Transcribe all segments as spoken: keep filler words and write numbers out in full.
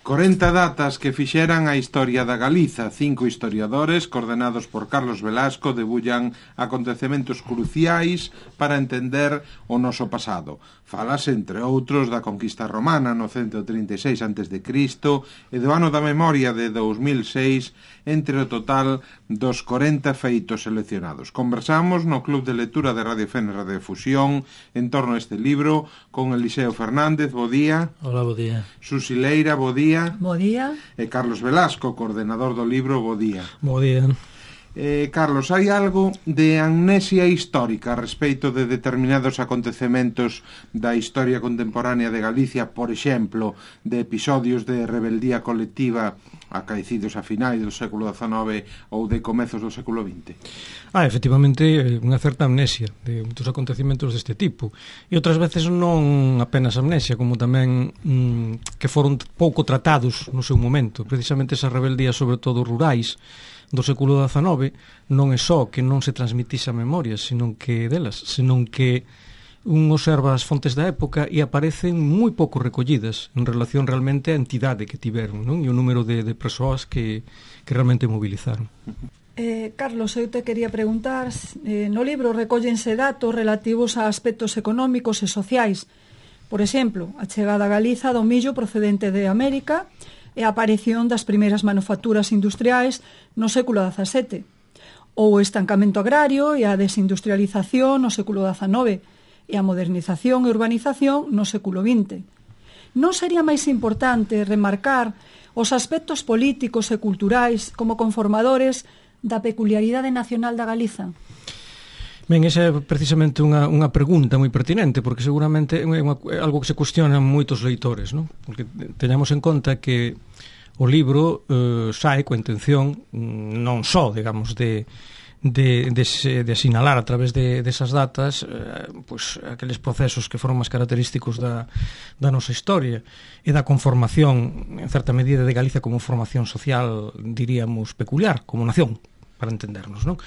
corenta datas que fixeran a historia da Galiza. Cinco historiadores, coordenados por Carlos Velasco, debullan acontecementos cruciais para entender o noso pasado. Falase, entre outros, da conquista romana no cento trinta e seis antes de Cristo e do ano da memoria de dous mil seis, entre o total dos corenta feitos seleccionados. Conversamos no Club de Lectura de Radio Fenra de Fusión en torno a este libro con Eliseo Fernández, bo día. Hola, bo día. Susi Leira, bo día. Bo día. E Carlos Velasco, coordenador do libro, bo día. Bo día. Eh, Carlos, hai algo de amnesia histórica a respeito de determinados acontecementos da historia contemporánea de Galicia, por exemplo, de episodios de rebeldía colectiva acaecidos a finais do século dezanove ou de comezos do século vinte? Ah, efectivamente, unha certa amnesia de moitos acontecimentos deste tipo. E outras veces non apenas amnesia, como tamén mmm, que foron pouco tratados no seu momento. Precisamente esas rebeldías, sobre todo rurais, do século dezanove, non é só que non se transmitise a memoria, senón que delas, senón que un observa as fontes da época e aparecen moi pouco recollidas en relación realmente á entidade que tiveron, non? E o número de, de persoas que, que realmente mobilizaron. Eh, Carlos, eu te quería preguntar, eh, no libro recóllense datos relativos a aspectos económicos e sociais. Por exemplo, a chegada a Galiza do millo procedente de América e a aparición das primeiras manufacturas industriais no século dezasete, ou o estancamento agrario e a desindustrialización no século dezanove e a modernización e urbanización no século vinte. Non sería máis importante remarcar os aspectos políticos e culturais como conformadores da peculiaridade nacional da Galiza? Ben, esa é precisamente unha, unha pregunta moi pertinente, porque seguramente é unha, algo que se cuestionan moitos leitores, non? Porque teñamos en conta que o libro eh, sae coa intención non só, digamos, de, de, de, de asinalar a través de, desas datas eh, pues, aqueles procesos que foron máis característicos da, da nosa historia e da conformación, en certa medida, de Galicia como formación social, diríamos, peculiar, como nación, para entendernos, non?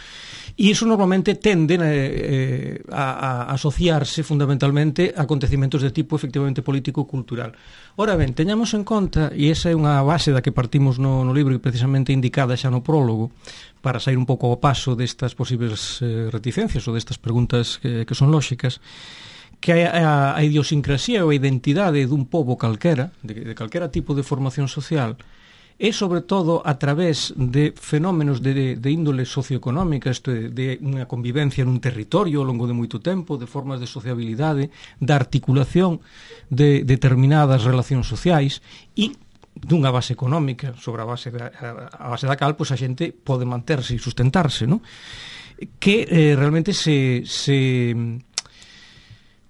E iso normalmente tende eh, a, a asociarse fundamentalmente a acontecimentos de tipo efectivamente político-cultural. Ora ben, teñamos en conta, e esa é unha base da que partimos no, no libro e precisamente indicada xa no prólogo, para sair un pouco ao paso destas posibles eh, reticencias ou destas preguntas que, que son lóxicas, que a, a idiosincrasía ou a identidade dun pobo calquera, de, de calquera tipo de formación social, é sobre todo a través de fenómenos de, de índole socioeconómica, isto é, de unha convivencia nun territorio ao longo de moito tempo, de formas de sociabilidade, da articulación de determinadas relacións sociais e dunha base económica sobre a base da, a base da cal pois a xente pode manterse e sustentarse, non? Que eh, realmente se... se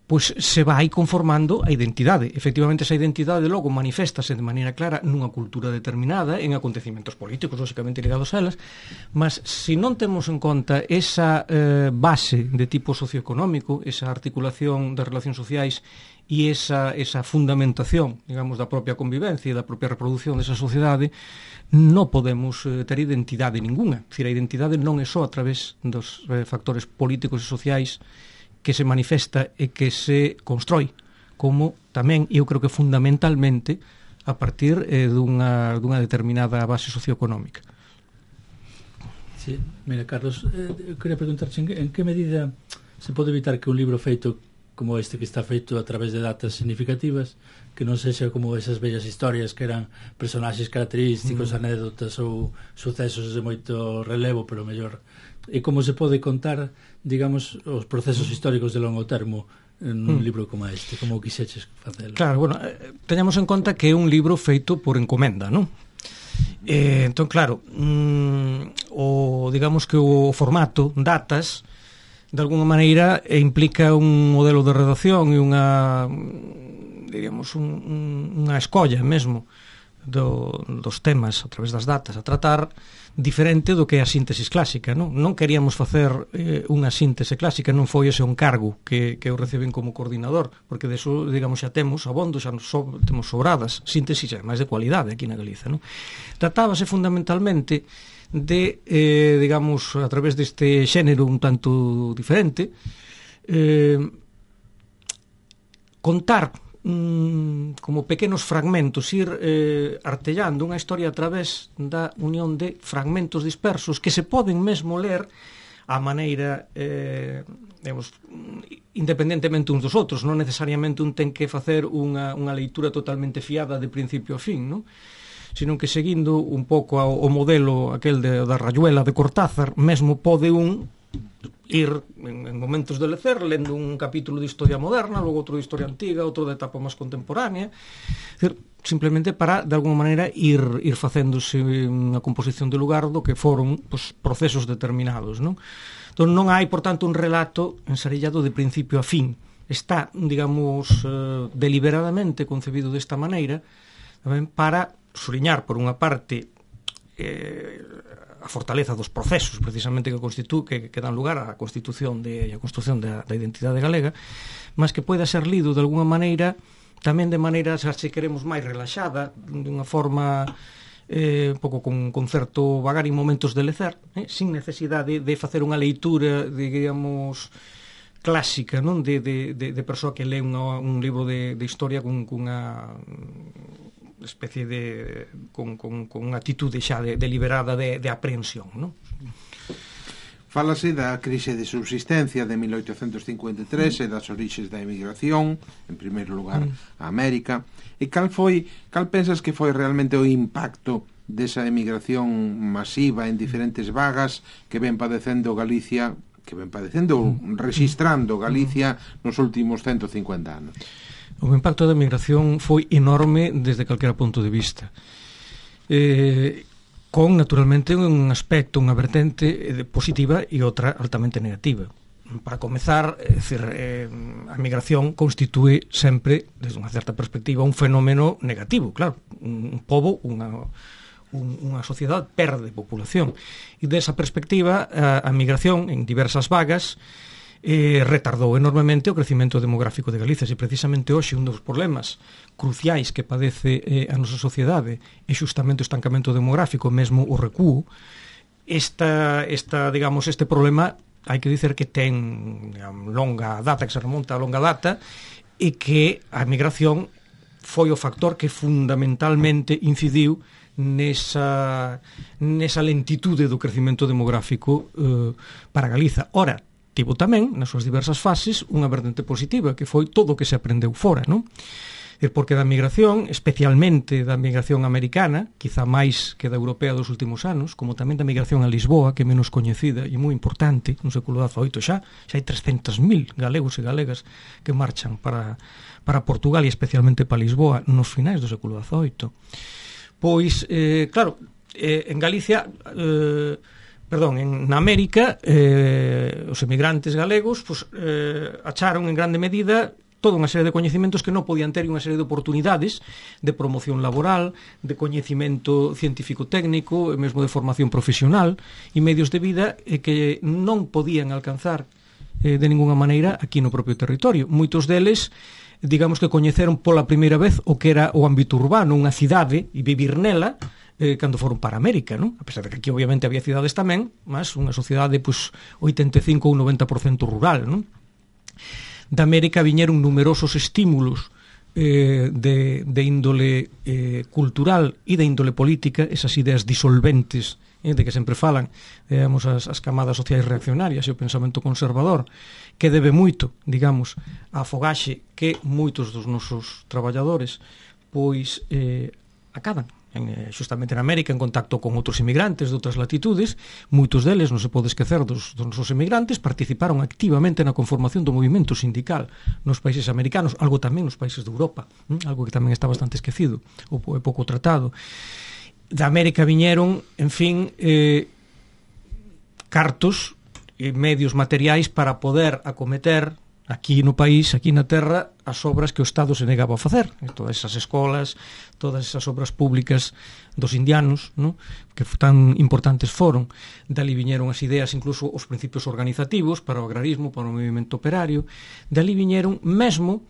pois se vai conformando a identidade. Efectivamente, esa identidade logo maniféstase de maneira clara nunha cultura determinada, en acontecimentos políticos, lógicamente ligados a elas, mas se non temos en conta esa eh, base de tipo socioeconómico, esa articulación das relacións sociais e esa, esa fundamentación, digamos, da propia convivencia e da propia reproducción desa sociedade, non podemos eh, ter identidade ninguna. Dicir, a identidade non é só a través dos eh, factores políticos e sociais que se manifesta e que se constrói, como tamén, eu creo que fundamentalmente, a partir eh, dunha, dunha determinada base socioeconómica. Sí, mira, Carlos, eh, eu queria preguntarche en que, en que medida se pode evitar que un libro feito como este, que está feito a través de datas significativas, que non sexa como esas bellas historias que eran personaxes característicos, mm. anécdotas ou sucesos de moito relevo, pero mellor... E como se pode contar, digamos, os procesos históricos de longo termo nun mm. libro como este, como quixeches facelo? Claro, bueno, eh, teñamos en conta que é un libro feito por encomenda, non? Eh, entón, claro, mm, o, digamos que o formato, datas, de alguna maneira eh, implica un modelo de redacción e unha, digamos, un, un, unha escolla mesmo do, dos temas a través das datas a tratar, diferente do que é a síntesis clásica, non? Non queríamos facer eh, unha síntese clásica, non foi ese un cargo que, que eu reciben como coordinador, porque deso, digamos, xa temos abondo, xa so, temos sobradas síntesis, máis de cualidade aquí na Galiza, non? Tratábase fundamentalmente de, eh, digamos, a través deste xénero un tanto diferente, eh, contar mm, como pequenos fragmentos, ir eh, artellando unha historia a través da unión de fragmentos dispersos que se poden mesmo ler a maneira, eh, digamos, independentemente uns dos outros. Non necesariamente un ten que facer unha, unha leitura totalmente fiada de principio a fin, non? Sino que seguindo un pouco ao, o modelo aquel de, da Rayuela de Cortázar, mesmo pode un ir en, en momentos de lecer lendo un capítulo de historia moderna, logo outro de historia antiga, outro de etapa máis contemporánea, decir, simplemente para, de alguma maneira, ir, ir facéndose unha composición de lugar do que foron pues, procesos determinados, non? Entón non hai, por tanto, un relato ensarillado de principio a fin. Está, digamos, eh, deliberadamente concebido desta maneira, tamén para suriñar, por unha parte, eh, a fortaleza dos procesos precisamente que constitu que, que dan lugar á constitución de, a construción da, da identidade galega, mas que poida ser lido de alguna maneira, tamén de maneira, se queremos, máis relaxada, dunha forma eh, un pouco con, con certo vagar en momentos de lecer, eh, sin necesidade de facer unha leitura, digamos, clásica, non? De, de, de, de persoa que lee unha, un libro de, de historia con, con unha especie de con, con, con unha atitude xa de, deliberada de, de aprehensión, non? Fálase da crise de subsistencia de mil oitocentos cincuenta e tres e das orixes da emigración, en primeiro lugar a América, e cal foi, cal pensas que foi realmente o impacto desa emigración masiva en diferentes vagas que ven padecendo Galicia, que ven padecendo, registrando Galicia nos últimos ciento cincuenta anos? O impacto da migración foi enorme desde calquera punto de vista, eh, con naturalmente un aspecto, unha vertente positiva e outra altamente negativa. Para comezar, é dicir, eh, a migración constitúe sempre, desde unha certa perspectiva, un fenómeno negativo. Claro, un, un pobo, unha, un, unha sociedade perde populación, e desa perspectiva a, a migración en diversas vagas Eh, retardou enormemente o crecimento demográfico de Galicia, e precisamente hoxe un dos problemas cruciais que padece eh, a nosa sociedade é xustamente o estancamento demográfico, mesmo o recuo. Esta, esta, digamos, este problema hai que dizer que ten digamos, longa data, que se remonta a longa data, e que a migración foi o factor que fundamentalmente incidiu nesa, nesa lentitude do crecimento demográfico eh, para Galiza. Ora, tivo tamén, nas súas diversas fases, unha vertente positiva, que foi todo o que se aprendeu fora, non? Porque da migración, especialmente da migración americana, quizá máis que da europea dos últimos anos, como tamén da migración a Lisboa, que é menos coñecida e moi importante, no século dezaoito xa, xa hai trescentos mil galegos e galegas que marchan para, para Portugal e especialmente para Lisboa nos finais do século dezaoito. Pois, eh, claro, eh, en Galicia... Eh, Perdón, en na América eh, os emigrantes galegos pues, eh, acharon en grande medida toda unha serie de coñecementos que non podían ter, unha serie de oportunidades de promoción laboral, de coñecimento científico-técnico e mesmo de formación profesional e medios de vida eh, que non podían alcanzar eh, de ninguna maneira aquí no propio territorio. Moitos deles, digamos que coñeceron pola primeira vez o que era o ámbito urbano, unha cidade, e vivir nela, Eh, cando foron para América, non? A pesar de que aquí obviamente había cidades tamén, mas unha sociedade pues, oitenta e cinco ou noventa por cento rural, non? Da América viñeron numerosos estímulos eh, de, de índole eh, cultural e de índole política, esas ideas disolventes eh, de que sempre falan, digamos, as, as camadas sociais reaccionarias e o pensamento conservador, que debe moito, digamos, a fogaxe que moitos dos nosos traballadores pois eh, acadan en, justamente en América, en contacto con outros inmigrantes de outras latitudes. Moitos deles, non se pode esquecer dos, dos nosos inmigrantes, participaron activamente na conformación do movimento sindical nos países americanos, algo tamén nos países de Europa, ¿eh? Algo que tamén está bastante esquecido ou é pouco tratado. Da América viñeron, en fin, eh, cartos e medios materiais para poder acometer aquí no país, aquí na terra, as obras que o Estado se negaba a facer. Todas esas escolas, todas esas obras públicas dos indianos, ¿no? Que tan importantes foron. Dali viñeron as ideas, incluso os principios organizativos para o agrarismo, para o movimento operario. Dali viñeron mesmo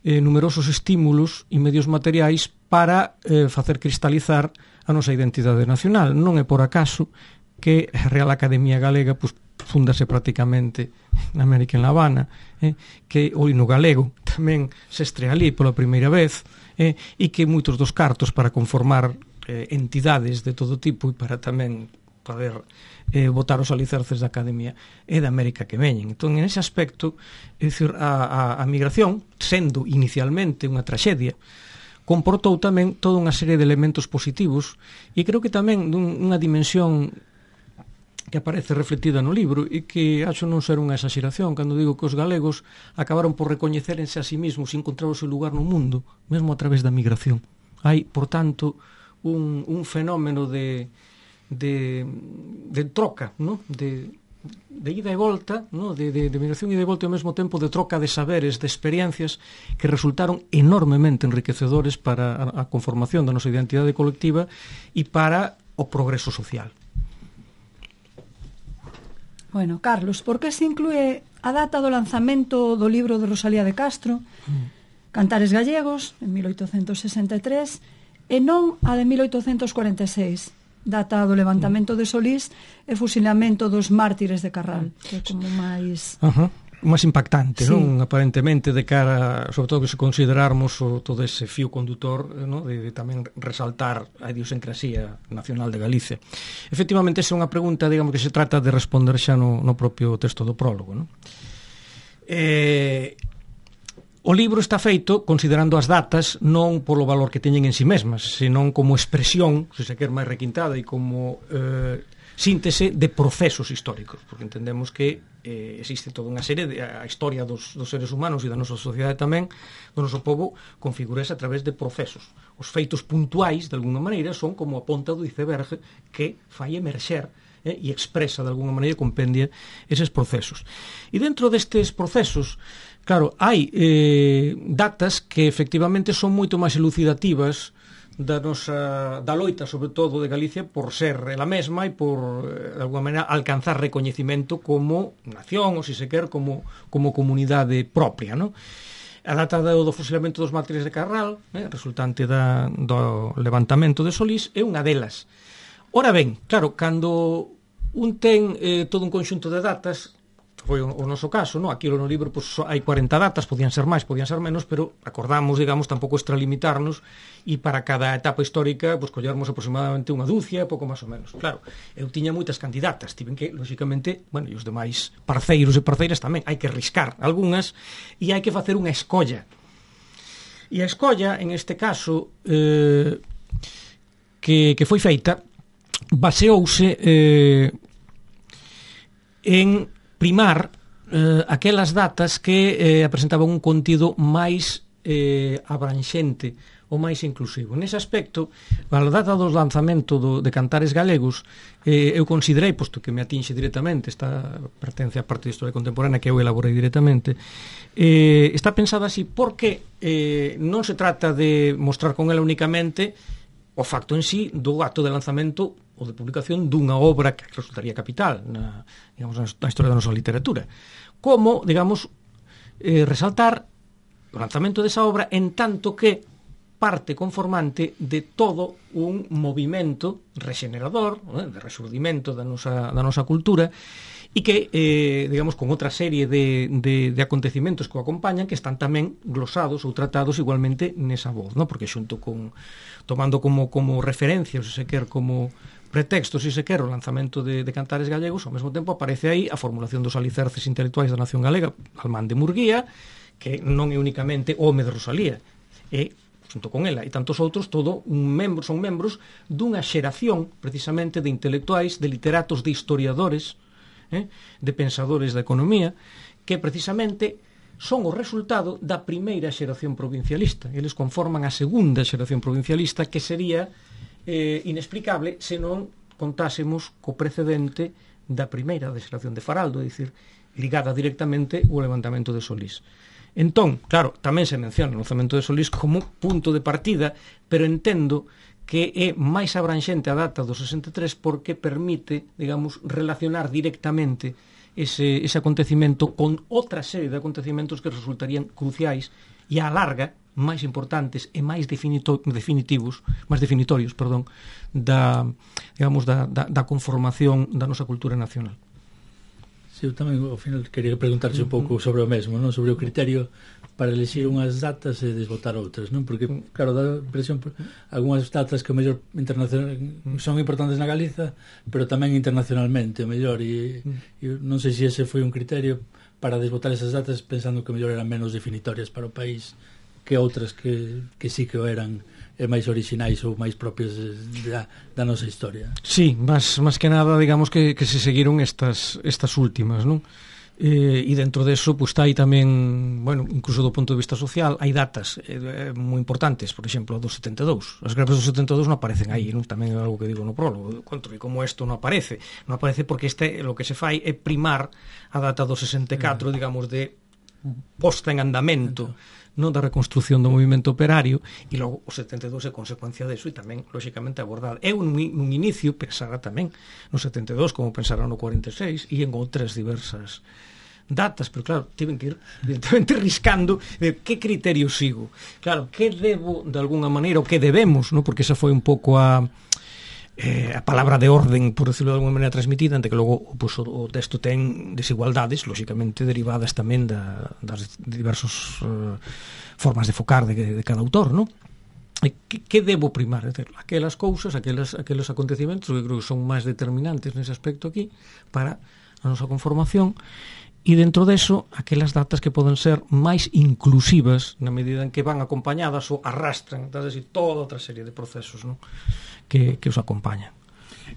eh, numerosos estímulos e medios materiais para eh, facer cristalizar a nosa identidade nacional. Non é por acaso que a Real Academia Galega pues, fúndase prácticamente na América en La Habana, eh, que o hino galego tamén se estrea ali pola primeira vez, eh, e que moitos dos cartos para conformar eh, entidades de todo tipo e para tamén poder eh, botar os alicerces da Academia é da América que veñen. Entón, en ese aspecto, é dicir, a, a, a migración, sendo inicialmente unha traxedia, comportou tamén toda unha serie de elementos positivos e creo que tamén dun, unha dimensión que aparece reflectida no libro e que acho non ser unha exageración cando digo que os galegos acabaron por recoñecerense a sí mismos e encontrar o seu lugar no mundo, mesmo a través da migración. Hai, por tanto, un, un fenómeno de, de, de troca, ¿no? de, de ida e volta, ¿no? de, de, de migración e de volta ao mesmo tempo de troca de saberes, de experiencias que resultaron enormemente enriquecedores para a, a conformación da nosa identidade colectiva e para o progreso social. Bueno, Carlos, por que se inclúe a data do lanzamento do libro de Rosalía de Castro, mm. Cantares Gallegos, en mil oitocentos sesenta e tres, e non a de mil oitocentos cuarenta e seis, data do levantamento de Solís e fusilamento dos mártires de Carral, que é como máis... Ajá. máis impactante, sí. non? Aparentemente de cara, sobre todo que se considerarmos o, todo ese fío condutor, ¿no? de, de tamén resaltar a idiosincrasía nacional de Galicia. Efectivamente, esa é unha pregunta, digamos, que se trata de responder xa no, no propio texto do prólogo, non? Eh, o libro está feito considerando as datas non polo valor que teñen en si mesmas, senón como expresión, se se quer máis requintada, e como eh, síntese de procesos históricos, porque entendemos que eh, existe toda unha serie de a historia dos, dos seres humanos e da nosa sociedade tamén, do noso povo, configurase a través de procesos. Os feitos puntuais, de alguna maneira, son como a ponta do iceberg que fai emerxer eh, e expresa, de alguna maneira, compendia eses procesos. E dentro destes procesos, claro, hai eh, datas que efectivamente son moito máis elucidativas da nosa da loita, sobre todo de Galicia, por ser ela mesma e por, de alguma maneira, alcanzar recoñecimento como nación, ou se se quer, como, como comunidade propia, non? A data do, do fusilamento dos mártires de Carral, eh, resultante da, do levantamento de Solís, é unha delas. Ora ben, claro, cando un ten eh, todo un conxunto de datas, foi o, o noso caso, no? Aquí no libro pues, hai cuarenta datas, podían ser máis, podían ser menos, pero acordamos, digamos, tampouco extralimitarnos e para cada etapa histórica pues, collermos aproximadamente unha dúcia, pouco máis ou menos. Claro, eu tiña moitas candidatas, tiven que, lóxicamente, bueno, e os demais parceiros e parceiras tamén, hai que riscar algunhas e hai que facer unha escolla. E a escolla, en este caso, eh, que, que foi feita, baseouse eh, en primar eh, aquelas datas que eh, presentaban un contido máis eh, abranxente ou máis inclusivo. Nese aspecto, a data do lanzamento do, de Cantares Galegos, eh, eu considerei, posto que me atinxe directamente, esta pertence á parte de historia contemporánea que eu elaborei directamente, eh, está pensada así porque eh, non se trata de mostrar con ela únicamente o facto en sí do acto de lanzamento ou de publicación dunha obra que resultaría capital na, digamos, na historia da nosa literatura, como, digamos, eh, resaltar o lanzamento desa obra en tanto que parte conformante de todo un movimento rexenerador, eh, de resurdimento da nosa, da nosa cultura, e que, eh, digamos, con outra serie de, de, de acontecimentos que o acompañan, que están tamén glosados ou tratados igualmente nesa voz, ¿no? Porque xunto con, tomando como, como referencia, ou se quer, como pretexto, se se quer, o lanzamento de, de Cantares Gallegos, ao mesmo tempo aparece aí a formulación dos alicerces intelectuais da nación galega, Almán de Murguía, que non é únicamente home de Rosalía, é, xunto con ela, e tantos outros, todo un membro, son membros dunha xeración, precisamente, de intelectuais, de literatos, de historiadores, eh, de pensadores da economía, que precisamente son o resultado da primeira xeración provincialista. Eles conforman a segunda xeración provincialista, que sería eh, inexplicable se non contásemos co precedente da primeira de xeración de Faraldo, é dicir, ligada directamente ao levantamento de Solís. Entón, claro, tamén se menciona o lanzamento de Solís como punto de partida, pero entendo que é máis abranxente a data do sesenta e tres porque permite, digamos, relacionar directamente ese, ese acontecimento con outra serie de acontecimentos que resultarían cruciais e á larga máis importantes e máis definito, definitivos, máis definitorios, perdón, da, digamos, da, da, da conformación da nosa cultura nacional. Sí, eu tamén ao final quería preguntarche un pouco sobre o mesmo, non? Sobre o criterio para elegir unhas datas e desbotar outras, non? Porque, claro, dá impresión algunhas datas que o mellor internacional son importantes na Galiza, pero tamén internacionalmente, o mellor, e, e non sei se ese foi un criterio para desbotar esas datas pensando que o mellor eran menos definitorias para o país que outras que, que sí que o eran e máis orixinais ou máis propios da, da nosa historia. Sí, más, más que nada, digamos que, que se seguiron estas, estas últimas, non? Eh, e dentro deso, pues, está aí tamén, bueno, incluso do punto de vista social, hai datas eh, moi importantes, por exemplo, a do setenta e dous. As greves do setenta e dous non aparecen aí, non? Tamén é algo que digo no prólogo. Contra, e como isto non aparece? Non aparece porque este, lo que se fai é primar a data do sesenta e catro, mm. digamos, de posta en andamento, non, da reconstrucción do movimento operario, e logo o setenta e dous é consecuencia deso e tamén, lóxicamente, abordado. Eu, nun, nun inicio, pensara tamén no setenta e dous, como pensara no cuarenta e seis, e en outras diversas datas, pero claro, tiven que ir evidentemente riscando de que criterio sigo. Claro, que debo, de alguna maneira, o que debemos, ¿no? Porque esa foi un pouco a eh, a palabra de orden, por decirlo de alguna maneira, transmitida, ante que logo pues, o, o texto ten desigualdades, lóxicamente derivadas tamén da, das diversas uh, formas de focar de, de cada autor, ¿no? E que, que debo primar? É dicir, aquelas cousas, aquelas, aqueles acontecimentos que creo que son máis determinantes nese aspecto aquí para a nosa conformación, e dentro deso, aquelas datas que poden ser máis inclusivas na medida en que van acompañadas ou arrastran, é dicir, toda outra serie de procesos, non? Que, que os acompañan.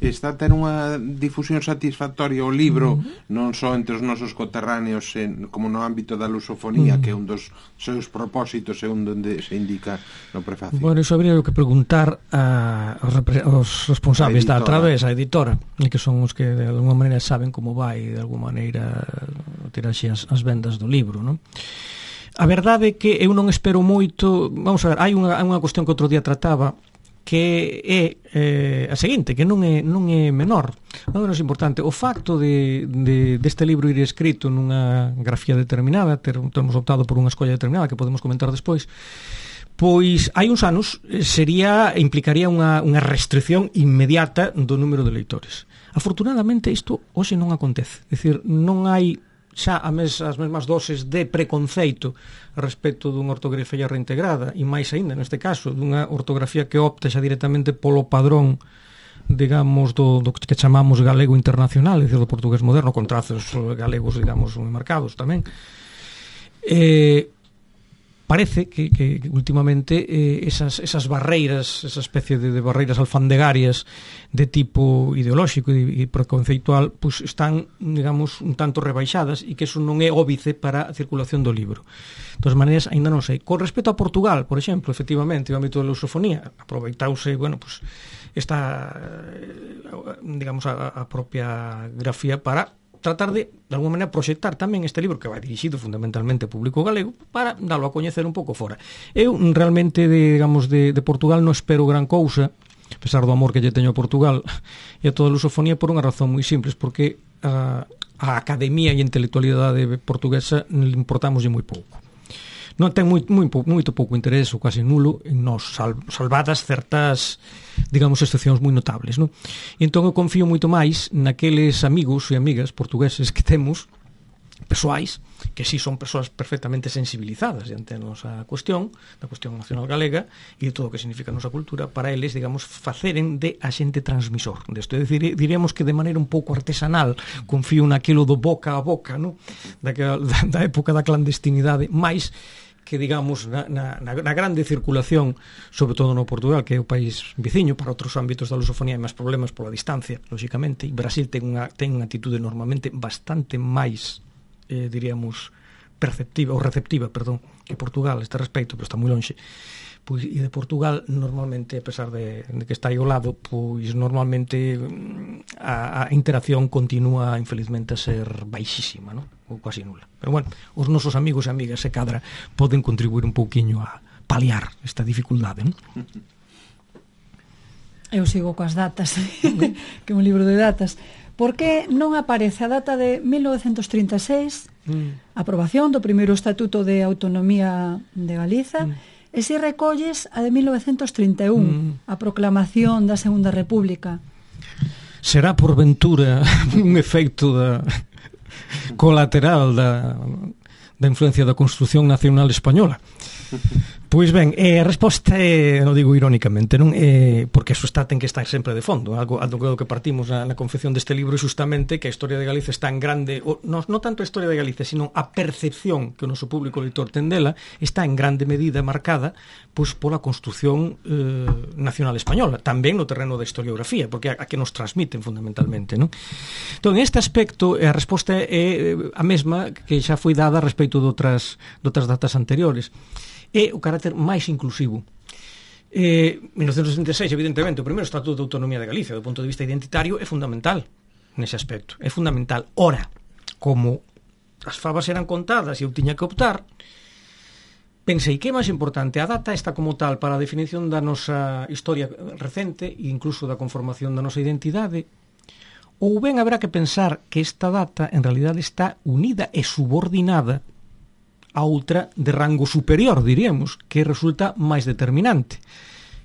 Está a ter unha difusión satisfactoria o libro, uh-huh. non só entre os nosos coterráneos en, como no ámbito da lusofonía, uh-huh. que é un dos seus propósitos e un donde se indica no prefacio. Bueno, iso habría que preguntar a, aos responsables da Través, a editora, que son os que de alguma maneira saben como vai de alguma maneira tirarse as, as vendas do libro, non? A verdade é que eu non espero moito. Vamos a ver, hai unha, unha cuestión que outro día trataba, que é eh, a seguinte, que non é, non é menor, non é menos importante. O facto de, de, deste libro ir escrito nunha grafía determinada, ter, termos optado por unha escolla determinada, que podemos comentar despois, pois hai uns anos sería, implicaría unha, unha restricción inmediata do número de leitores. Afortunadamente isto hoxe non acontece, é dicir, non hai xa a mes, as mesmas doses de preconceito respecto dunha ortografía reintegrada, e máis aínda neste caso dunha ortografía que opta xa directamente polo padrón, digamos, do, do que chamamos galego internacional, é dicir, do portugués moderno, con trazos galegos, digamos, moi marcados tamén. Eh, parece que, que últimamente eh, esas, esas barreiras, esa especie de, de barreiras alfandegarias de tipo ideolóxico e, e preconceitual, pues están, digamos, un tanto rebaixadas, e que eso non é óbice para a circulación do libro. De todas maneiras, ainda non sei. Con respecto a Portugal, por exemplo, efectivamente, o ámbito da lusofonía, aproveitouse, bueno, pues esta, digamos, a, a propia grafía para tratar de, de alguma maneira, proxectar tamén este libro, que vai dirixido fundamentalmente ao público galego, para darlo a coñecer un pouco fora. Eu, realmente, de, digamos, de, de Portugal non espero gran cousa, a pesar do amor que lle teño a Portugal e a toda a lusofonía, por unha razón moi simples, porque a, a academia e a intelectualidade portuguesa importámoslle moi pouco. Non ten moi, moi, moito pouco interés, ou casi nulo, en nos, sal, salvadas certas, digamos, excepcións moi notables, non? E entón eu confío moito máis naqueles amigos e amigas portugueses que temos, persoais, que si son persoas perfectamente sensibilizadas diante da nosa cuestión, da cuestión nacional galega e de todo o que significa a nosa cultura, para eles, digamos, faceren de axente transmisor desto. É dicir, diríamos que de maneira un pouco artesanal confío naquilo do boca a boca, non? Da, da, da época da clandestinidade, máis que, digamos, na, na, na grande circulación, sobre todo no Portugal, que é o país veciño, para outros ámbitos da lusofonía hai máis problemas pola distancia, lóxicamente, e Brasil ten unha, ten unha atitude normalmente bastante máis, eh, diríamos, perceptiva, ou receptiva, perdón, que Portugal a este respecto, pero está moi lonxe. Pois, e de Portugal, normalmente, a pesar de, de que está aí ao lado, pois normalmente a, a interacción continúa, infelizmente, a ser baixísima, non? Ou quasi nula. Pero bueno, os nosos amigos e amigas, se cadra, poden contribuir un pouquiño a paliar esta dificultade, non? Eu sigo coas datas, que é un libro de datas. Por que non aparece a data de mil novecentos trinta e seis, mm. aprobación do primeiro Estatuto de Autonomía de Galiza, mm. e se recolles a de mil novecentos trinta e un, mm. a proclamación da Segunda República? Será por ventura un efecto da... colateral da, da influencia da construción nacional española. Pois ben, eh, a resposta é, non digo irónicamente, non é porque eso está ten que estar sempre de fondo. Algo algo que partimos na, na confección deste libro é justamente que a historia de Galicia está en grande, o, non, non tanto a historia de Galicia, sino a percepción que o noso público lector ten dela está en grande medida marcada pois pola construción eh, nacional española, tamén no terreno da historiografía, porque a, a que nos transmiten fundamentalmente, non? Entón, en este aspecto, a resposta é a mesma que xa foi dada respecto de outras, de outras datas anteriores. É o carácter máis inclusivo. Eh, mil novecentos sesenta e seis, evidentemente, o primeiro Estatuto de Autonomía de Galicia, do punto de vista identitario, é fundamental nese aspecto. É fundamental. Ora, como as fabas eran contadas e eu tiña que optar, pensei que é máis importante a data esta como tal para a definición da nosa historia recente e incluso da conformación da nosa identidade, ou ben haberá que pensar que esta data en realidade está unida e subordinada a outra de rango superior, diríamos, que resulta máis determinante,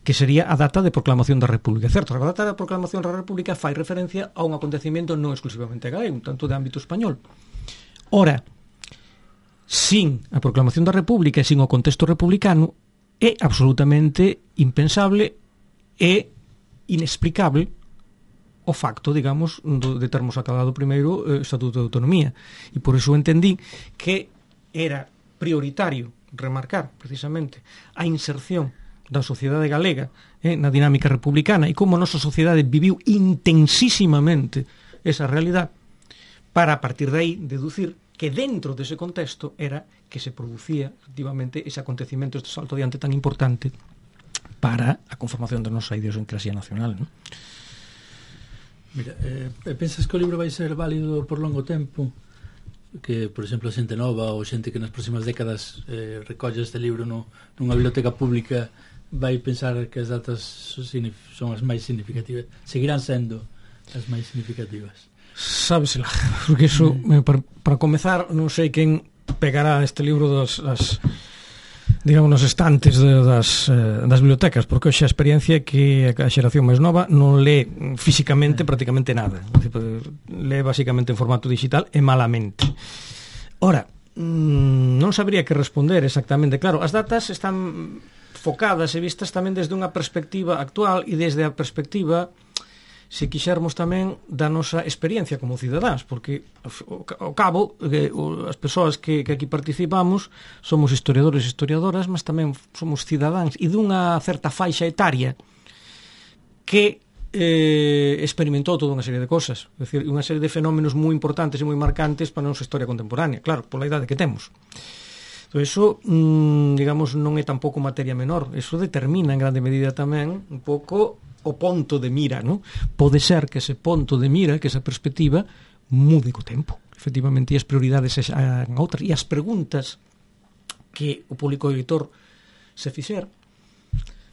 que sería a data de proclamación da República. Certo, a data da proclamación da República fai referencia a un acontecemento non exclusivamente galego, un tanto de ámbito español. Ora, sin a proclamación da República e sin o contexto republicano, é absolutamente impensable e inexplicable o facto, digamos, de termos acabado primeiro o Estatuto de Autonomía. E por iso entendí que era prioritario remarcar precisamente a inserción da sociedade galega eh, na dinámica republicana e como a nosa sociedade viviu intensísimamente esa realidade para a partir de aí deducir que dentro dese contexto era que se producía efectivamente ese acontecimento, este salto adiante tan importante para a conformación da nosa idiosincrasia nacional, non? Mira, eh, pensas que o libro vai ser válido por longo tempo? Que, por exemplo, a xente nova ou xente que nas próximas décadas eh, recolle este libro no, nunha biblioteca pública vai pensar que as datas son as máis significativas, seguirán sendo as máis significativas? Sábesela, porque iso, mm. para, para comezar, non sei quen pegará este libro das, das digamos, nos estantes de, das, das bibliotecas, porque hoxe a experiencia é que a xeración máis nova non lé físicamente prácticamente nada, lé basicamente en formato digital e malamente. Ora, non sabría que responder exactamente. Claro, as datas están focadas e vistas tamén desde unha perspectiva actual e desde a perspectiva, se quixermos tamén, da nosa experiencia como cidadáns, porque ao cabo eh, as persoas que, que aquí participamos somos historiadores e historiadoras, mas tamén somos cidadáns e dunha certa faixa etaria que eh, experimentou toda unha serie de cosas, é dicir, unha serie de fenómenos moi importantes e moi marcantes para a nosa historia contemporánea, claro, pola idade que temos. Entón, iso, mmm, digamos, non é tampouco materia menor, iso determina en grande medida tamén un pouco o ponto de mira, non? Pode ser que ese ponto de mira, que esa perspectiva mude co tempo, efectivamente, e as prioridades sexan outras, e as preguntas que o público lector se fixer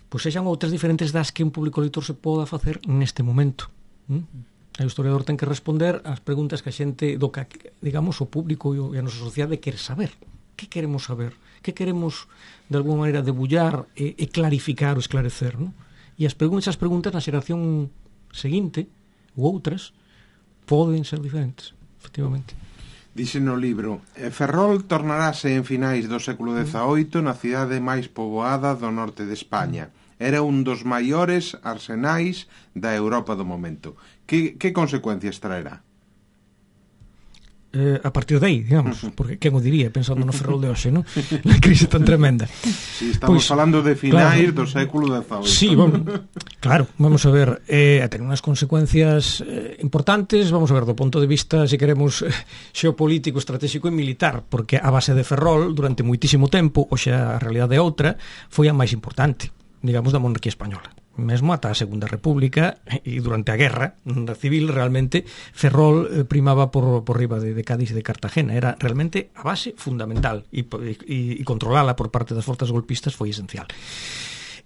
pois sexan outras diferentes das que un público lector se poda facer neste momento. ¿Mm? O historiador ten que responder ás preguntas que a xente do que, digamos, o público e a nosa sociedade quere saber. Que queremos saber? Que queremos, de alguma maneira, debullar e, e clarificar ou esclarecer, non? E as preguntas, as preguntas na xeración seguinte ou outras poden ser diferentes, efectivamente. Dixe no libro, Ferrol tornarase en finais do século dezaoito na cidade máis poboada do norte de España. Era un dos maiores arsenais da Europa do momento. Que, que consecuencias traerá? Eh, a partir de aí, digamos, porque quen o diría pensando no Ferrol de hoxe, non? Na crise tan tremenda. Si, sí, estamos pues, falando de finais claro, do século dezaoito. Sí, bueno, claro, vamos a ver, eh, a tener unhas consecuencias eh, importantes, vamos a ver, do punto de vista, se queremos, eh, xeopolítico, estratégico e militar, porque a base de Ferrol, durante moitísimo tempo, hoxe a realidade é outra, foi a máis importante, digamos, da monarquía española. Mesmo ata a Segunda República e durante a guerra civil realmente Ferrol eh, primaba por, por riba de, de Cádiz e de Cartagena, era realmente a base fundamental e, e, e controlala por parte das forzas golpistas foi esencial.